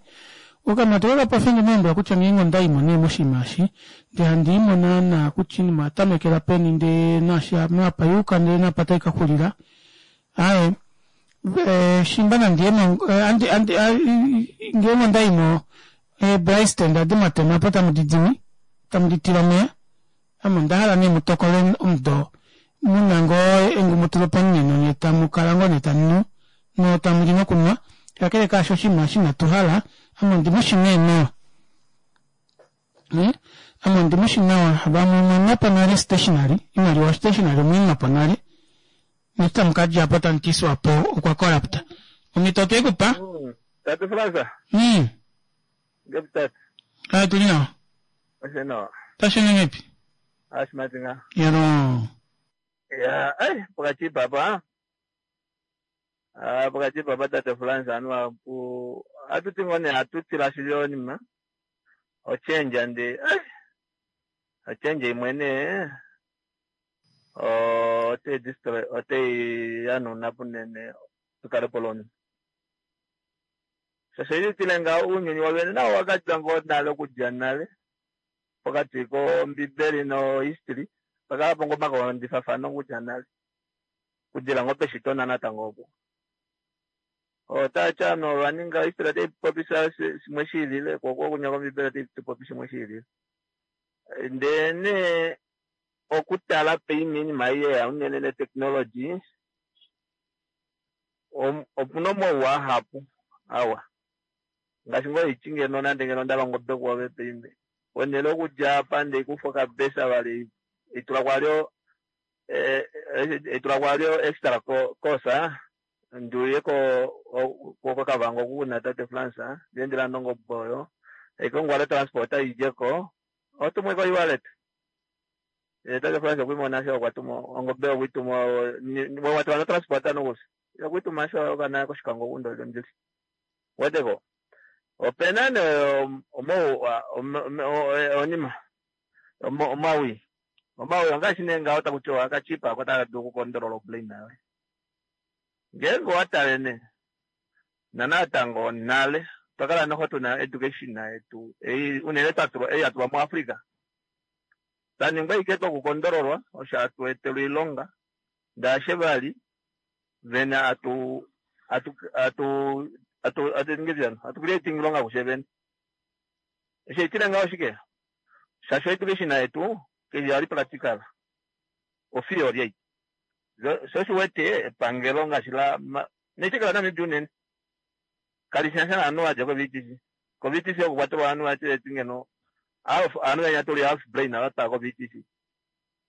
Okamati kokapofi onde mu lombwela kutya ngeenge onda i mo nee moshinima eshi, ndee handi i mo naana kutya oinima oya tamekela peni ndee naashi apa ya yuka ndee naapa tai ka xulila. Aaye, shimba nandi ye mo, andi, andi, ngeenge onda i mo, eebraaistand adi mwa tema po tamu di dimi, tamu di tila omeya. Ame onda hala nee mu tokole omudo mu na ngoo engumutulo pomunino nye tamu kala ngoo nee tamu nu no tamu li nokunwa. Kakele kaasho oshinima eshi inatu hala, ame ondi mu shi nee nawa. Ame ondi mu shi nawa, vamwe omwa nwa po nale stationery, oimaliwa yostationery omwe i nwa po nale. Neshi tamu ka dja po tamu ti Swapo okwa corrupt. Omhito otwe i ku pa. Tate Frans. Ngepi tate? Aye tuli nawa. Oshe nawa. Tashi ende ngepi? Ashimati nga. Yalo. Ya, ai, pokati papa. Ah, pokati papa tate Frans anuwa pu atuti ngoo nee atu tila shili onima ochange ndi ai ochange imwe nee otai destroy otai yanuna punene tukale po lonima. Shaashi tile ngaho ounyuni wovene nao owakadja ngoo nale okudja nale pokati kombibeli nohistory pakala po ngoo omakondjifafano okudja nale okudila ngoo peshito natango opo otati ovanhu ova ninga history otai popi shimwe shiilile ko okunya kombibeli otai popi shimwe shiilile ndee nee okutala painima ei yeya unene netechnology opuna omauwa ahapu awa ngaashi ngoo iti ngeno nande ngeno onda longa obe kuove paime ponhele okudja apa ndeikufa okabesa vali itula kwalyo itula kwalyo extra course ndiuye koKavango oku kuna tate Frans ndiendela nongobe oyo aikongwale transport idjeko otumwe ko e-wallet tate Frans okwimona sho okwa tuma ongobe okwituma watula no transport nokusi okwituma sho okana kOshikango oku ndili weteko opena nee onima omawi omawi ongaashi nee ngaho taku tiwa akachipa ako taka dulu okukondolola obrain yoye ngeenge owatale nee nanatango nale otwa kala noho tuna education yetu ei unene twatulwa ei yatulwa muAfrica twaningwa ike twokukondololwa osho hatu etelwa oilonga ndaashe vali vene atu atu atu atu atu atu creating ilonga kushe vene eshi etile ngaho shike shaashi education yetu keshi yali practical otheory ei sho oshiwete epangelo ngaashi la neitekela Namibia unene kalishinasha naanhu vadja ko-VTC ko-VTC oko kwatulwa ovanhu vati ngeno ovanhu venya tuli half brain vatwala ko-VTC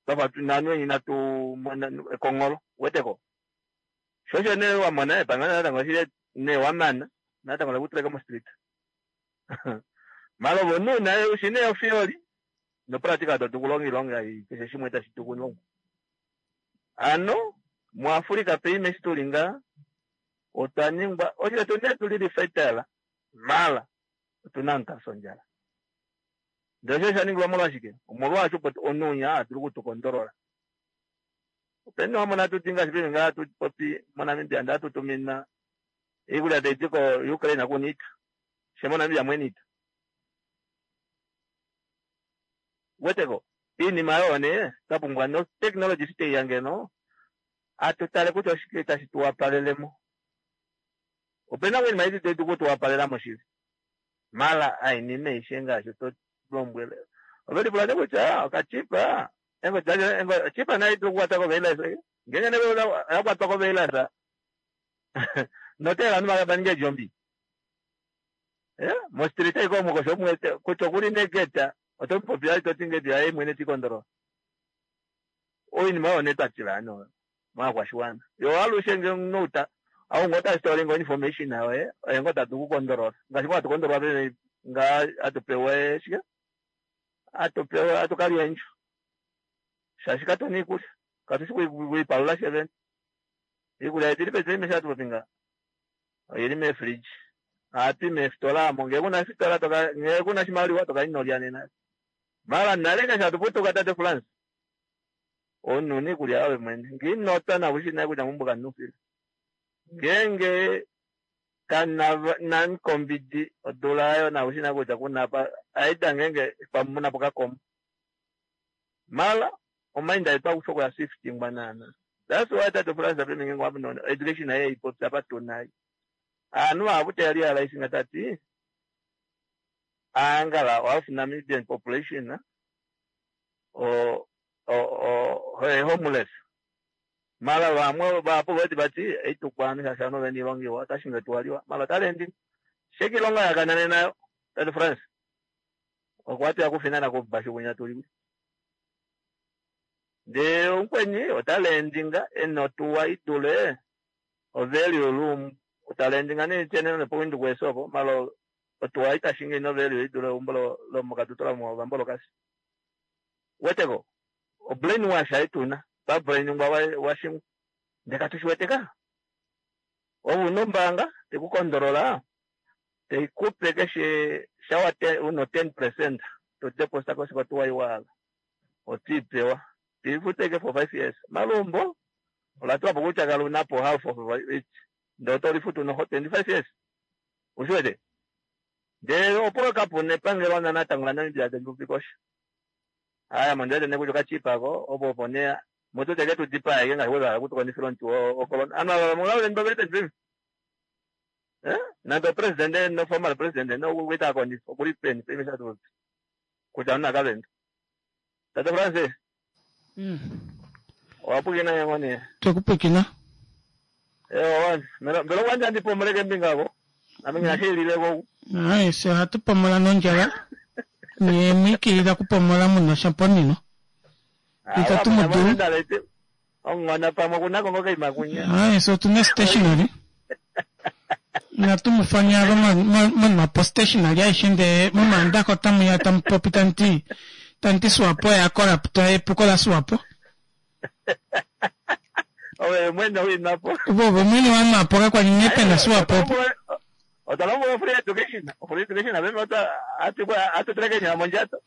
twafa naanhu venya inatu mona ekongolo weteko sho osho nee wamona epangelo natango shile nee wamana natango lekutuleka mo-street mala ove omunhu una ushi nee otheory nopractical to dulu okulonga oilonga ei keshe shimwe tashi dulu okulongwa ano muAfrica paime eshi tuli nga otwa ningwa osho tu nee tuli fertile mala otuna omunhu tafya ondjala ndele osho osha ningilwa molwashike omolwaasho opo omunhu unya a dulu okutukondolola. Openi wamona tuti ngaashi peni ngaa hatu popi moNamibia ndee hatu tumina iikulya tayi di ko-Ukraine kuna iita, she moNamibia mwena iita. Weteko iinima oyo nee twa pumbwa no-technology eshi taiya ngeno atu tale kutya oshike tashi tu wapalelemo. Opena ngoo oinima ei tayi dulu oku tu wapalelamo shili. Mala ainima aishe ngaashi to lombwele ove lipula nee kutya okachipa ochipa nayo idulu okukwata kovirus ngeenge nee oya kwatwa kovirus noteela ovanhu va ninge eedjombi mostreet aike omo kosho omuwete kutya okuli negeta oto mupopi vali toti ngedi yaye mwene tikondolola oinima oyo nee twatila hano oyo movakwashiwana yo alushe nge omunhu outa ou ngoo ta store ngo information yoye oye ngoo tadulu okukondolola ngaashi ngoo hatu kondololwa pene ngaa hatu pewa shike hatu pewa hatu kalya eendjo shaashi katuna iikulya katushi kuipalula fye vene iikulya yetu ili peni mesho hatu popi nga oyili meefridge ohatu i meefitola amo ngee kuna efitola ngee kuna oshimaliwa toka inolya nena mala nale ngeshi hatu putuka tate France omunhu una iikulya yoye mwene ngee inotwa nakushi nale kutya meumbo kamuna oufila ngeenge kana namukombidi odula ayo nakushi nale kutya kuna apa aida ngeenge pamwe munapo okakomo mala omainda etu akusha okuya shiftingwa naana that's why tate France peme ngeenge wamona education aye ipopya apa tuna aanhu vahapu taya realize nga tati aangala half Namibian population o homeless mala vamwe vahapu vati vati eitukwa shaashi ovanhu ovena iilonga iwa otashinga tuwaliwa mala otalendi sheke ilonga yakanane nayo tate France okwa tuya kufinana kubashu kunya tuli ndee omukweni otalendinga ena otuwa idule ovalue room otalendinga nee nepo Windhoek opo mala otuwa itashinga ina value idule eumbo lomokatutura movambolokasi weteko obrainwash aituna twabrainingwa washingwa ndee katushi ka ove una ombaanga tekukondolola teikupe keshe shawa uno 10% to deposit kosiko tuwa iwahala otiipewa tiifuteke for 5 years malumbo olatulapo kutya kala unapo half of it ndee otolifutu noho 25 years ushiwete ndee opo kapuna epangelo natango laNamibia tali aya mondiwete nee kutya okachipako opo opo nee mutu teke tudipaeke ngaashi wevahala kutukondifila omuti wocorona anu ava vamwe vaveni vaveli peni nande opresident no former president nokuita akondifa okuli peni peni shatu kutya omunhu akavenda tate France owapwikina yango nee twekupwikina ewa mbela okwandja ndipomoleke mbinga ako ame nginashiilileko ayi se ohatu pomola nondjala nye mwikilila kupomola muna shamponino itatu mu dulu ongona pamwe kunako ngoka imakunya ayi se otuna stationary natu mu fanyalo monapo stationary aishe ndee momaandako otamu ya tamu popi tanti tanti Swapo ya corrupt epuko la Swapo ove mwene winapo ove mwene wanapo kakwali nee pena Swapo otalombwela free education free education aveme atuteleke mondjato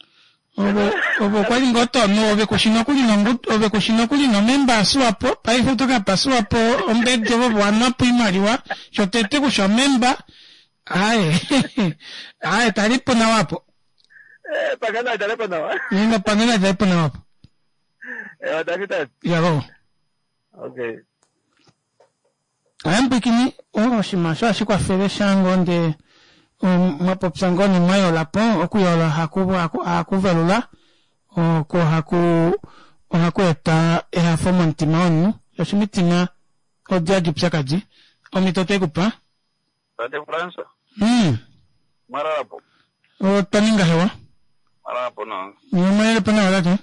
ove okwali ngoo tonu ove kushi nokuli nongudu ove kushi nokuli nomemba yaSwapo paife oto kapa Swapo ombedi ovo wanwapo iimaliwa shotete kusha omemba aye aye talipo nawapo pangana italipo nawa nino pangana italipo nawapo yavo okay ayambwikini oshinima osho hashi kwafele shango ndee mwapopya ngoo ne mwayolapo okuyola ohaku velula oko ohaku eta ehafo momutima womunhu shaashi omitima odi hadi upyakadi omhito otoikupa Tate Fransa. Mwalalapo. Otwa ninga hewa. Mwalalapo nawa. Mwalalapo nawa tate.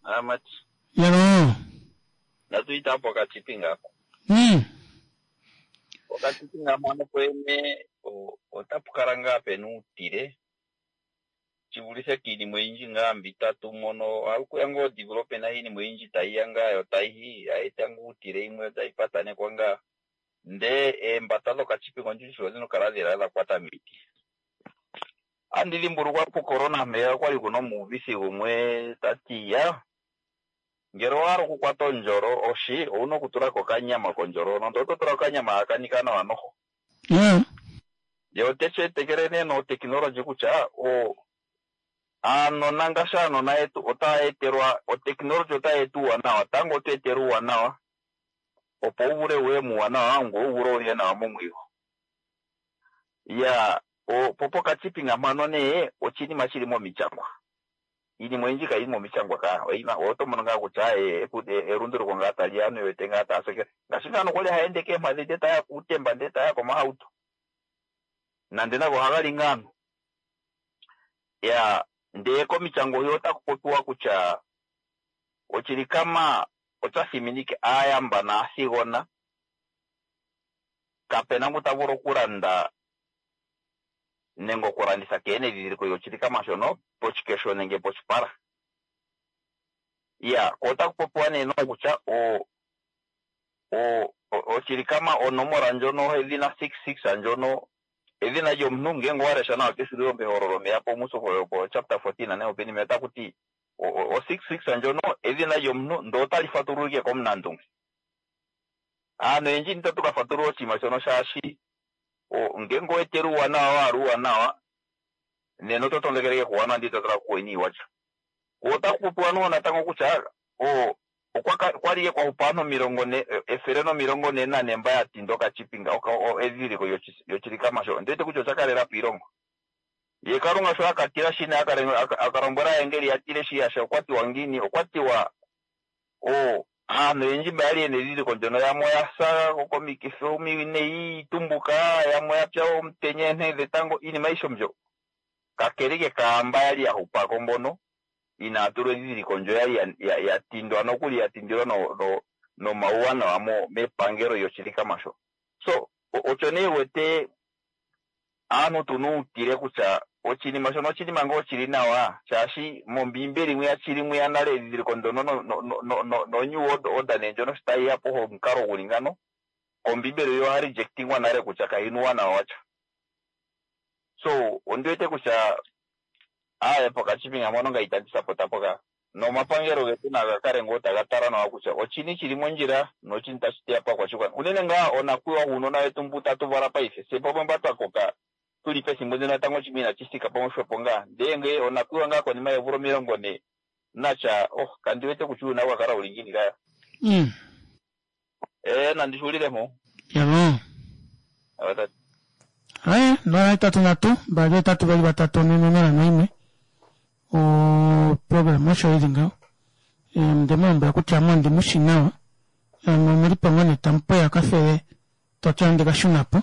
Amati. Yalo. Natuita hapo okachipinga ako. Okachipinga mano kwene otapu kala ngaa pena uutile shivulithe kiinima oyindji ngaa mbi tatu mono ohaku ya ngoo development iinima oyindji tayi ya ngaa yo tayi eta ngoo uutile imwe otayi patanekwa ngaa ndee eembata dhokachipinga ondjindji odhina okukala dhela dha kwata miiti. Andi dhimbulukwa pucorona mpeya okwali kuna omuuvithi gumwe tati ya Ngele owa hala okukwata ondjolo, oshi, owu na okutula ko okanyama kondjolo hono, ndele oto tula ko okanyama haka nika nawa noho. Ye ote shi etekele nee notekinologi kutya o, aanona ngaashi aanona yetu otaya etelwa, otekinologi otayi eta uuwanawa. Tango oto etele uuwanawa opo wu vule wuye muuwanawa ngoye wu vule wuye nawa momwigo. Ya, o, po pokachipinga mpano nee oshinima shili momichangwa. Iinima oyindji kayi li momichangwa ka, oyina, oto mono ngaa kutya e, elunduluko ngaa tali ya, aantu ye wete ngaa taya sekele. Ngaashi ngaa nokwali haya ende keempadhi ndele taya kuutemba ndele taya komahauto. Nande nago ohaga li ngaa aantu. Ya, ndee komichango hwiya otaku popiwa kutya ochilikama ota thiminike aayamba naathigona, kapena ngu ta vulu okulanda nenge okulanditha keena edhidhiliko lyochilikama shono poshikesho nenge poshipala. Ya, ko otaku popiwa nee nokutya o, o, ochilikama onomola ndjono edhina 66 ndjono edhina lyomuntu ngenge owa lesha nawa keshulilo mehololo meya po musoho po chapter 14 nenge openi meya otaku ti o 66 ndjono edhina lyomuntu ndo otali fatululike komunandunge. Aantu oyendji itatu ka fatulula oshinima shono shaashi ngenge owa etele uuwanawa wa hala uuwanawa nena oto tondokeleke kuuwanawa ndele ito tala kuuwinayi watya. Ko otaku popiwa noo natango kutya okwa li kwa hupa aantu 40, 144 mba ya tinda okachipinga edhidhiliko lyochilikama sho. Ondi wete kutya osha kalela po iilongo. Ye Kalunga sho a ka tila shi a ka lombwela aayengeli ya tile shi yasha okwa tiwa ngiini? Okwa tiwa aantu oyendji mba ya li yena edhidhiliko ndyono yamwe oya sa komikithi omiwinayi iitumbuka, yamwe oya pya omutenya eenhe dhetango, iinima ayihe mbyo. Kakele ke kaamba ya li ya hupako mbono inaa tulwa edhidhiliko ndyo ya li ya tindwa nokuli ya tindilwa nomauwanawa mepangelo lyochilikama sho. So osho nee wete aantu tuna uutile kutya oshinima shono oshinima ngoo shili nawa shaashi mombiimbeli mwiya shili mwiya nale edhidhiliko ndyono no new world order nee ndjono sho tayi ya po omukalo guli ngano kombiimbeli yo oya rejectingwa nale kutya kayina uuwanawa watya. So ondi wete kutya aaye pokachipinga mpono nga itandi sapota mpoka nomapangelo getu naga kale ngoo taga tala nawa kutya oshini shili mondjila noshini tashi teya paakwashigwana unene ngaa onakwiiwa guunona wetu mbu tatu vala paife se pamwe mba twa koka tuli pethimbo ndino natango shimwe inashi thika pamwe xwepo ngaa ndee nge onakwiiwa ngaa konima yeemvula 40 natya oh kandi wete kutya uuna wa kala uli ngiini kaya. Ee nandi xuulile mpo. Yavo. Aye, 083 2 8 3 4 0 1 oprograma osho ili ngaho. Onde mu lombwela kutya ame ondi mu shi nawa. Ame omuli po ngoo nee tamu pweya okafele toti andi ka shuna po.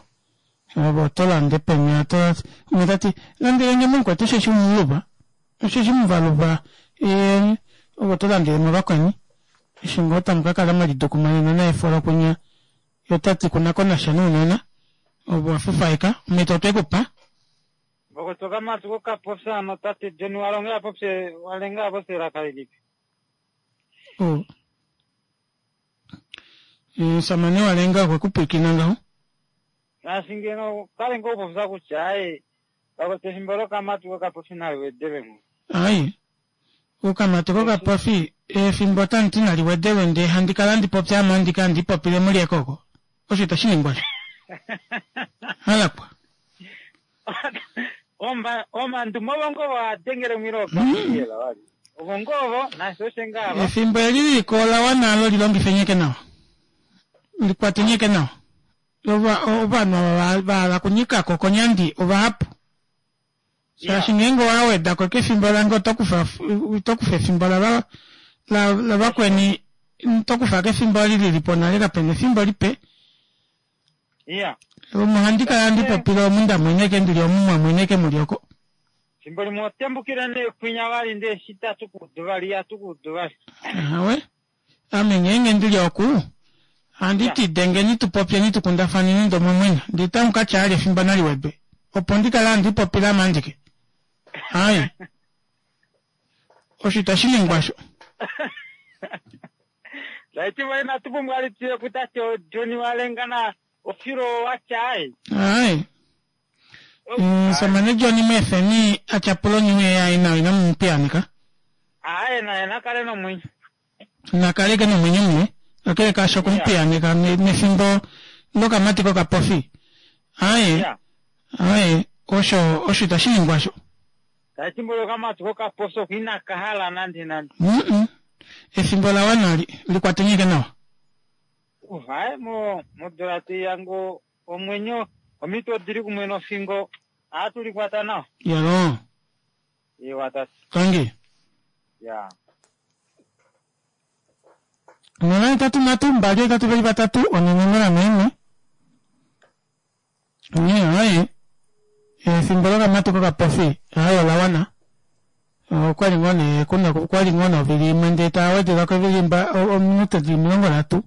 Ove oto lande peni oto umwe ta ti landelenge mumukwetu osheshi muluva osheshi muvaluva ove oto landele mo vakweni eshi ngoo tamu ka kala mwelidukumanena naefolo kwinya ye ota ti kuna ko nasha nounona ove wa fufaeka omhito otwe ku pa. Vokotoka matu kokapopya ano tate John Walonge a popye Walenga a popye elaka lilipi? Oh. Omusamane Walenga okwe ku pwiikina ngaho? Ngaashi ngeno kale ngoo popya kutya aye vakoto efimbo lokamatu kokapofi nali wedelwe ngo. Ai. Okamatu kokapofi efimbo otamu ti nali wedelwe ndee handi kala handi popi ame andike handi ipopile mulyeko oko. Osho itashi ningwa sho. Halakwa. Omandumo ovo ngoo va dengele mwilo okafiyela wali. Ovo ngoo ovo nasi oshe ngaa ava. Efimbo eli liliko ola wana alo li longife nyeke nawa. Li kwate nyeke nawa. Ovanhu ava va hala okunyika ko konyandi ovahapu. Shaashi ngeenge owa weda ko kefimbo lange oto kufa oto kufa efimbo lava lavakweni oto kufa kefimbo eli lili po nale kapena efimbo lipe. Iya. Omo handi kala handi popile omu ndamweneke ndili omu mwamweneke muli oko. Fimbo limwe otembukile nee kwinya vali ndee eshi tatu kuudu vali ihatu kuudu vali. Ahawe. Ame ngeenge ndili oku ohandi ti dengeni tu popyeni tu kundafaneni ndee omwa mwena ndee tamu ka tya ali efimbo nali wedwe opo ndi kale handi ipopile ame andike. Aaye. Osho itashi ningwa osho. Taiti vali natu pumbwa li tuye kutate John Walenga na Ofilo watya aye. Aye. Omusamane John mu efeni a tyapule onyuwe yaye nawa inamu mu piyaaneka. Aye naye na kale nomwenyo. Nakaleke nomwenyo mule kakele kaasho okumupiyaaneka nefimbo lokamati kokapofi. Aaye, aaye, osho, osho itashi ningwa osho. Efimbo lokamati kokapofi oko inaka hala nande nande. Mm-mm. Efimbo la wana li, likwateni ashike nawa. Uh, aye mo, modula teiya ngo omwenyo, omitwe odili kumwe nofingo, ohatu likwata nawa. Yaloo. Ewa tate. Tangi. Ya. 0 8 3 2 8 2 3 4 0 1. Onghee aye efimbo lokamati kokapofi aye ola wana. Okwali ngoo nee kuna okwali ngoo novili imwe ndee taa wedelwa kovili ominute dili 30.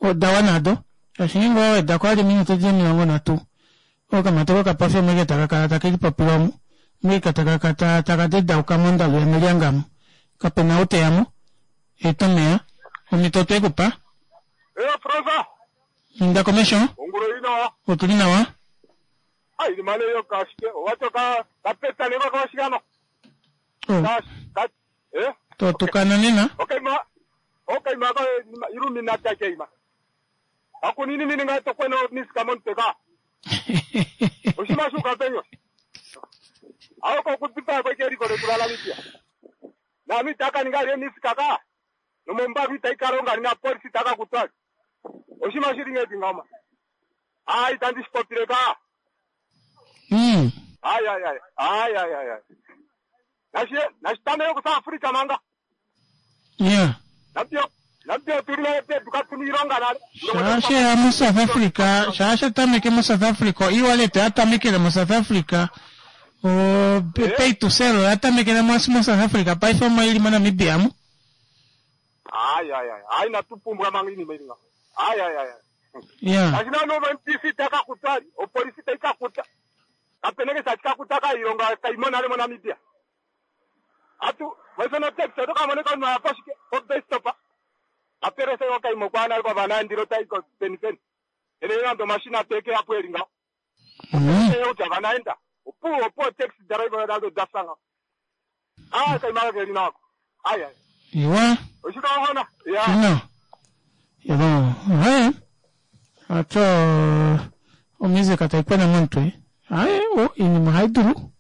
Oda wana ado. Shaashi ngeenge owa weda ko vali ominute dili 30 okamati kokapofi omweke taka kala take lipopile omu. Omweke taka kala taka dedauka mondalu yamelyanga amu. Kapena ou teya mo. Eta omeya. Omhito otwe ku pa. Eyo Frova. Inda komesho. Ongula oli nawa. Otu li nawa. Ai limale yo kashike. Owato ka ka peta leva ka shikano. Oh. Ka ka eh. To tukana nena. Okay ma. Okay ma ka illuminati ke ima. Akunini nini nga to kweno miska monte ka. Oshima shuka penyo. Awo ko kutipa ko keri ko tulala mitia. Na mitaka ninga le miska ka. Nomombavi taikalonga nina polisi taka kutwali. Oshima shili ngeti ngama. Ai tandi shipopile ka. Ai ai ai. Ai ai ai ai. Nashi nashitame yo South Africa manga. Yeah. Napio napio tulina pe tukatumi ilonga nale. Shaashe ya mu South Africa, shaashe tameke mu South Africa, e-wallet ya tamekele mu South Africa. O pay to sell oya tamekele mo mu South Africa, paife omo ili mo Namibia mu. Ai ai ai. Ai natupumbwa manga ini mailinga. Ai ai ai. Yeah. Ashina no NPC taka kutali, o polisi taika kuta. Kapeneke sa tika kuta ka ilonga kaimona le mo Namibia. Atu, wesona taxi to kamoneka no apashike, o bestopa. Aperese yo kaimo kwa na kwa banandiro taiko peni peni. Ene ndo mashina teke apo elinga. Yo uta banaenda. Opu opo taxi driver dalo dasanga. Ah, kaimara ke lina. Ai ai. Iwa. Oshika hona. Ya. No. Yabo. Haye. Ato omusic taipwena momutwe. Haye, o inima hai dulu.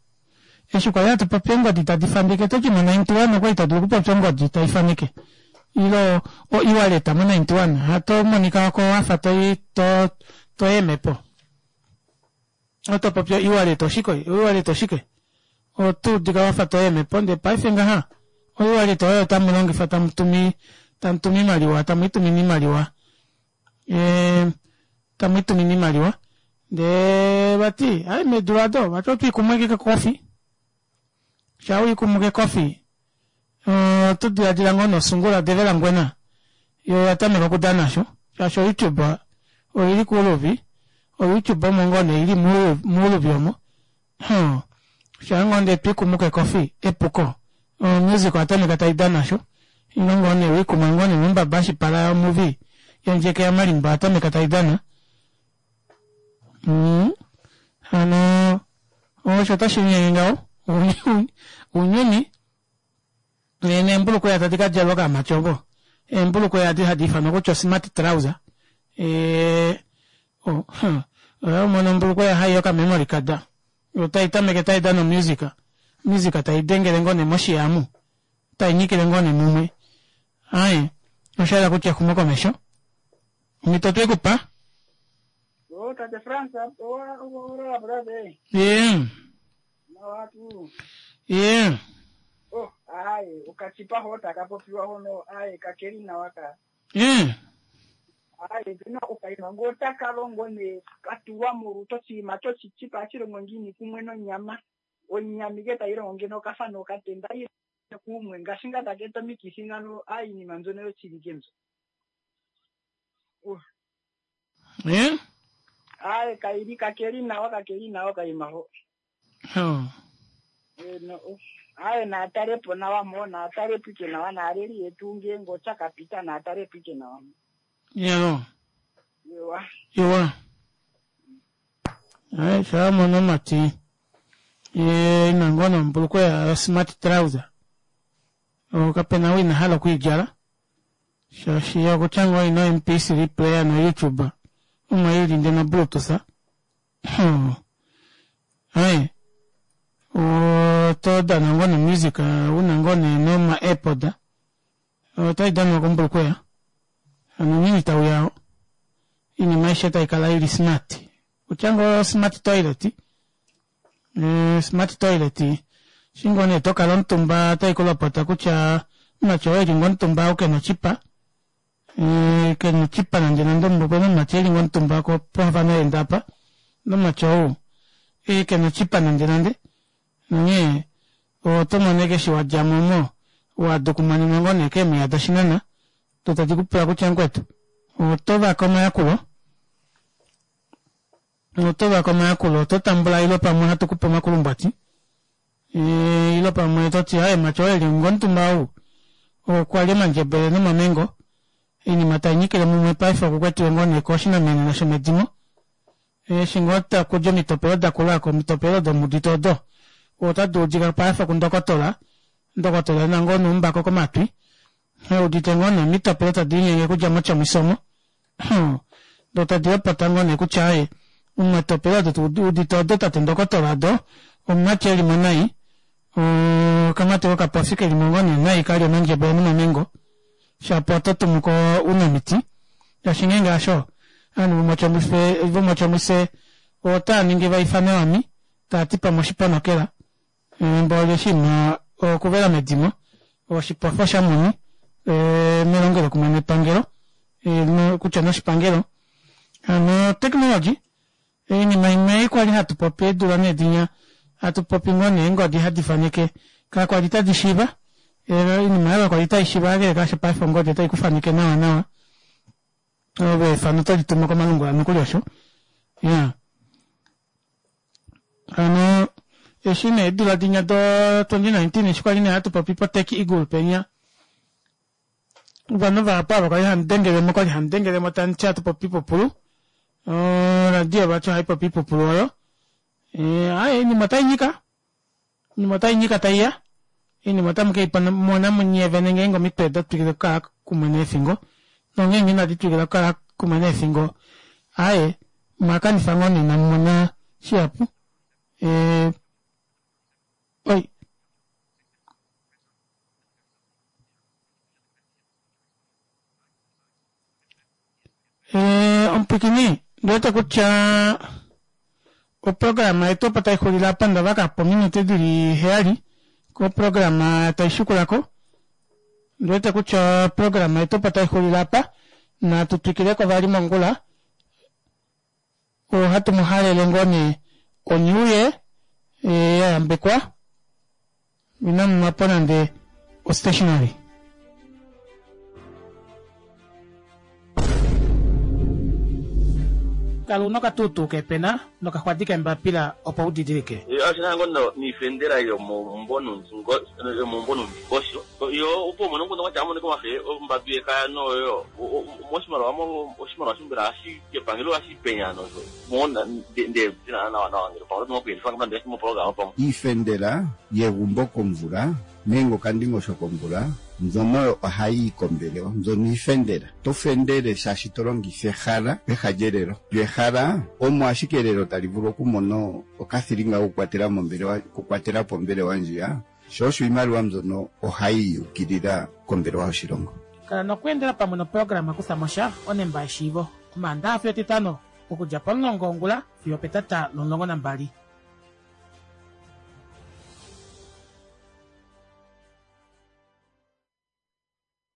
Eshi kwali hatu popi eengodi tadi faneke toti mo 91 okwali to dulu okupopya ongodi tai faneke. Ilo o e-wallet mo 91 hato monika ko wafa to to to emepo. Oto popi e-wallet oshike? E-wallet oshike? Otu udika wafa to emepo ndee paife ngaha o-wallet oyo tamu longifa tamu tumi tamu tumi imaliwa tamu itumine imaliwa. Tamu itumine imaliwa. Ndee vati ai meedula ado vati otwiikumwe ke kofi. Sha wiikumwe ke kofi oto diladila ngoo nosungula devela ngwena yo oya tameka okudana sho shaashi oYouTube oili kuuluvi oYouTube omo ngoo nee ili muuluvi omo huh sha ngoo ndee twiikumu kekofi epuko omusic oya tameka taidana sho ino ngoo nee wiikumwa ngoo nee mombaba ashipala yomuvi yondjeke yamalimba oya tameka taidana hano osho otashi linyenge ngaho ounyuni neembulukweya tadi ka djalwa kaamati ovo eembulukweya adi hadi ifanwa kutya osmart trouser oh, huh. Oya mono ombulukweya hai yokamemory card otai tameke tai dana omusic music tai dengele ngoo nee moshiya amu tai nyikile ngoo nee mumwe aye osha yela kutya exumokomesho omhito otwe ku pa Oh, tate Frans, ora brother. ye Nawa tuu. ye Oh, aye, okachipa ho taka popiwa hono, aye, kakeli nawa ka. ye Aye, pena okaima ngo taka longo ne katuwa molutu oshinima chochichipa hashi longo ngiini kumwe nonyama. Onyama ike tayi longo ngeno okafa nokatenda ile kumwe ngaashi nga taka eta omikithi ngano, aye, iinima mbyono yoshilike mbyo. Uh. ye Aye, kaili kakeli nawa kakeli nawa kaima ho. oh. Eh, no, oh. Aye, naatalepo nawa mo, naatalepo ike nawa, naaleli yetu ngeenge otya kapita, naatalepo ike nawa mo. yalo Ewa. iwa aye sha mono omati ye ina ngoo nombulukweya yo smart trouser kapena ou ina hala okwiidjala Shaashi okutya ngoo ino MP3 player no YouTube omo ili nde no Bluetooth. Hmm. Aye. Oto dana ngoo no music una ngoo nee noma AirPod. Otai danwa kombulukweya. Hano onghee tauya oo. Oinima aishe tai kala ili smart. Kutya ngoo smart toilet. Eh, smart toilet. Eshi ngoo nee to kala omutumba otai ku lopota kutya omumati oo eli ngoo omutumba ou kena oshipa. Eh, kena oshipa nande nande opena omumati eli ngoo omutumba ko pohafana enda apa. Nomumati ou eh, kena oshipa nande nande. Onghee oto mono ashike eshi wa dja mo omo wa dukumanenwa ngoo nee keemwiya doshinana do tadi ku pula kutya mukwetu oto vake omayakulo oto vake omayakulo oto tambula ile pamwe ohatu ku pe omakulumbwati ile pamwe to ti aye mati oo eli ngomutumba ou okwa lya omandjebele nomamengo oinima tai nyikile mumwe paife okukwetiwe ngoo nee koshinamenena shomedimo Eshi ngoo taku di omitopelo da kula ko, omitopelo domudito odo otadi udika paife kundokotola, ndokotola e na ngoo noumbako komatwi, e udite ngoo nee omitopelo tadi linyenge okudja mochomiso omo, do tadi lopota ngoo nee kutya aaye, omitopelo odo tu udite odo tate ndokotola odo omumati e li mo nai, okamati kokapofi ke li mo ngoo nee nai ka lya omandjebele nomamengo, shapo oto tumu ko ounamiti, shaashi ngeenge hasho, ovanhu vomotjomise otava ningi va ifane wami, tava ti pamwe oshiponokela, mboli oshinima okuvela medimo, oshipofa shamuni melongelokumwe nepangelo, kutya noshipangelo. Hano technology Oinima imwe ei kwali hatu popi eedula nee dinya, hatu popi ngoo nee eengodi hadi faneke, ka kwali tadi shiiva. Oinima oyo kakwali tai shiiva kakele kaasho paife ongodi otai ku faneke nawa nawa. Ove efano oto li tumu komalungula nokuli osho. Ya. Hano eshi nee eedula dinya do 2019 eshi kwali nee hatu popi poTech Eagle penya, ovanhu vahapu ava kwali hamu dengelemo kwali hamu dengelemo tamu ti hatu popi ipupulu oradio vati ohai popi ipupulu oyo aye oinima otai nyika oinima otai nyika taiya oinima otamu ke i mona munye vene ngeenge omitwe da twikile okukala kumwe neefingo nongeenge inadi twikila okukala kumwe neefingo aye omwa kanifa ngoo nee inamu mona shihapu oi Eh, omupwikini ndi wete kutya oprograma yetu opo tai xulile apa nda vaka po ominute dili heyali koprograma tai shikula ko ndi wete kutya oprograma yetu opo tai xulile apa natu twikileko vali mongula Ohatu mu halele ngoo nee o-New Year ya yambekwa, inamu nwa po nande o-stationery. Kala una okatuutuu keepena nokaxwadi keembapila opo u didilike. Oshi na ngoo niifendela yomomumvo nuundingosho. Yo opo umone omukundu kwatya amonike omafe ombadu yekaya noyo moshimaliwa mo oshimaliwa sho mbela ohashi kepangelo ohashi penya nosho mo nde dina nawa nawa ngele pamwe oto kuyelifa ngamba ndele moprograma pamwe. Iifendela yegumbo komvula nenge okandingosho komvula mbyono oyo ohayi yi kombelewa mbyono iifendela. To fendele shaashi to longitha ehala peha lyelelo. Lyo ehala omo ashike elelo tali vulu okumona okathilinga kokukwatela mombelewa okukwatela po ombelewa ndjiya. Sho osho iimaliwa mbyono ohayi yukilila kombelewa yoshilongo. Kala nokweendela pamwe noprograma Kutha mo sha, Onemba yeshiivo, Omaandaha fiyo Etitano, okudja pomulongo wongula fiyo opetata lomulongo nambali.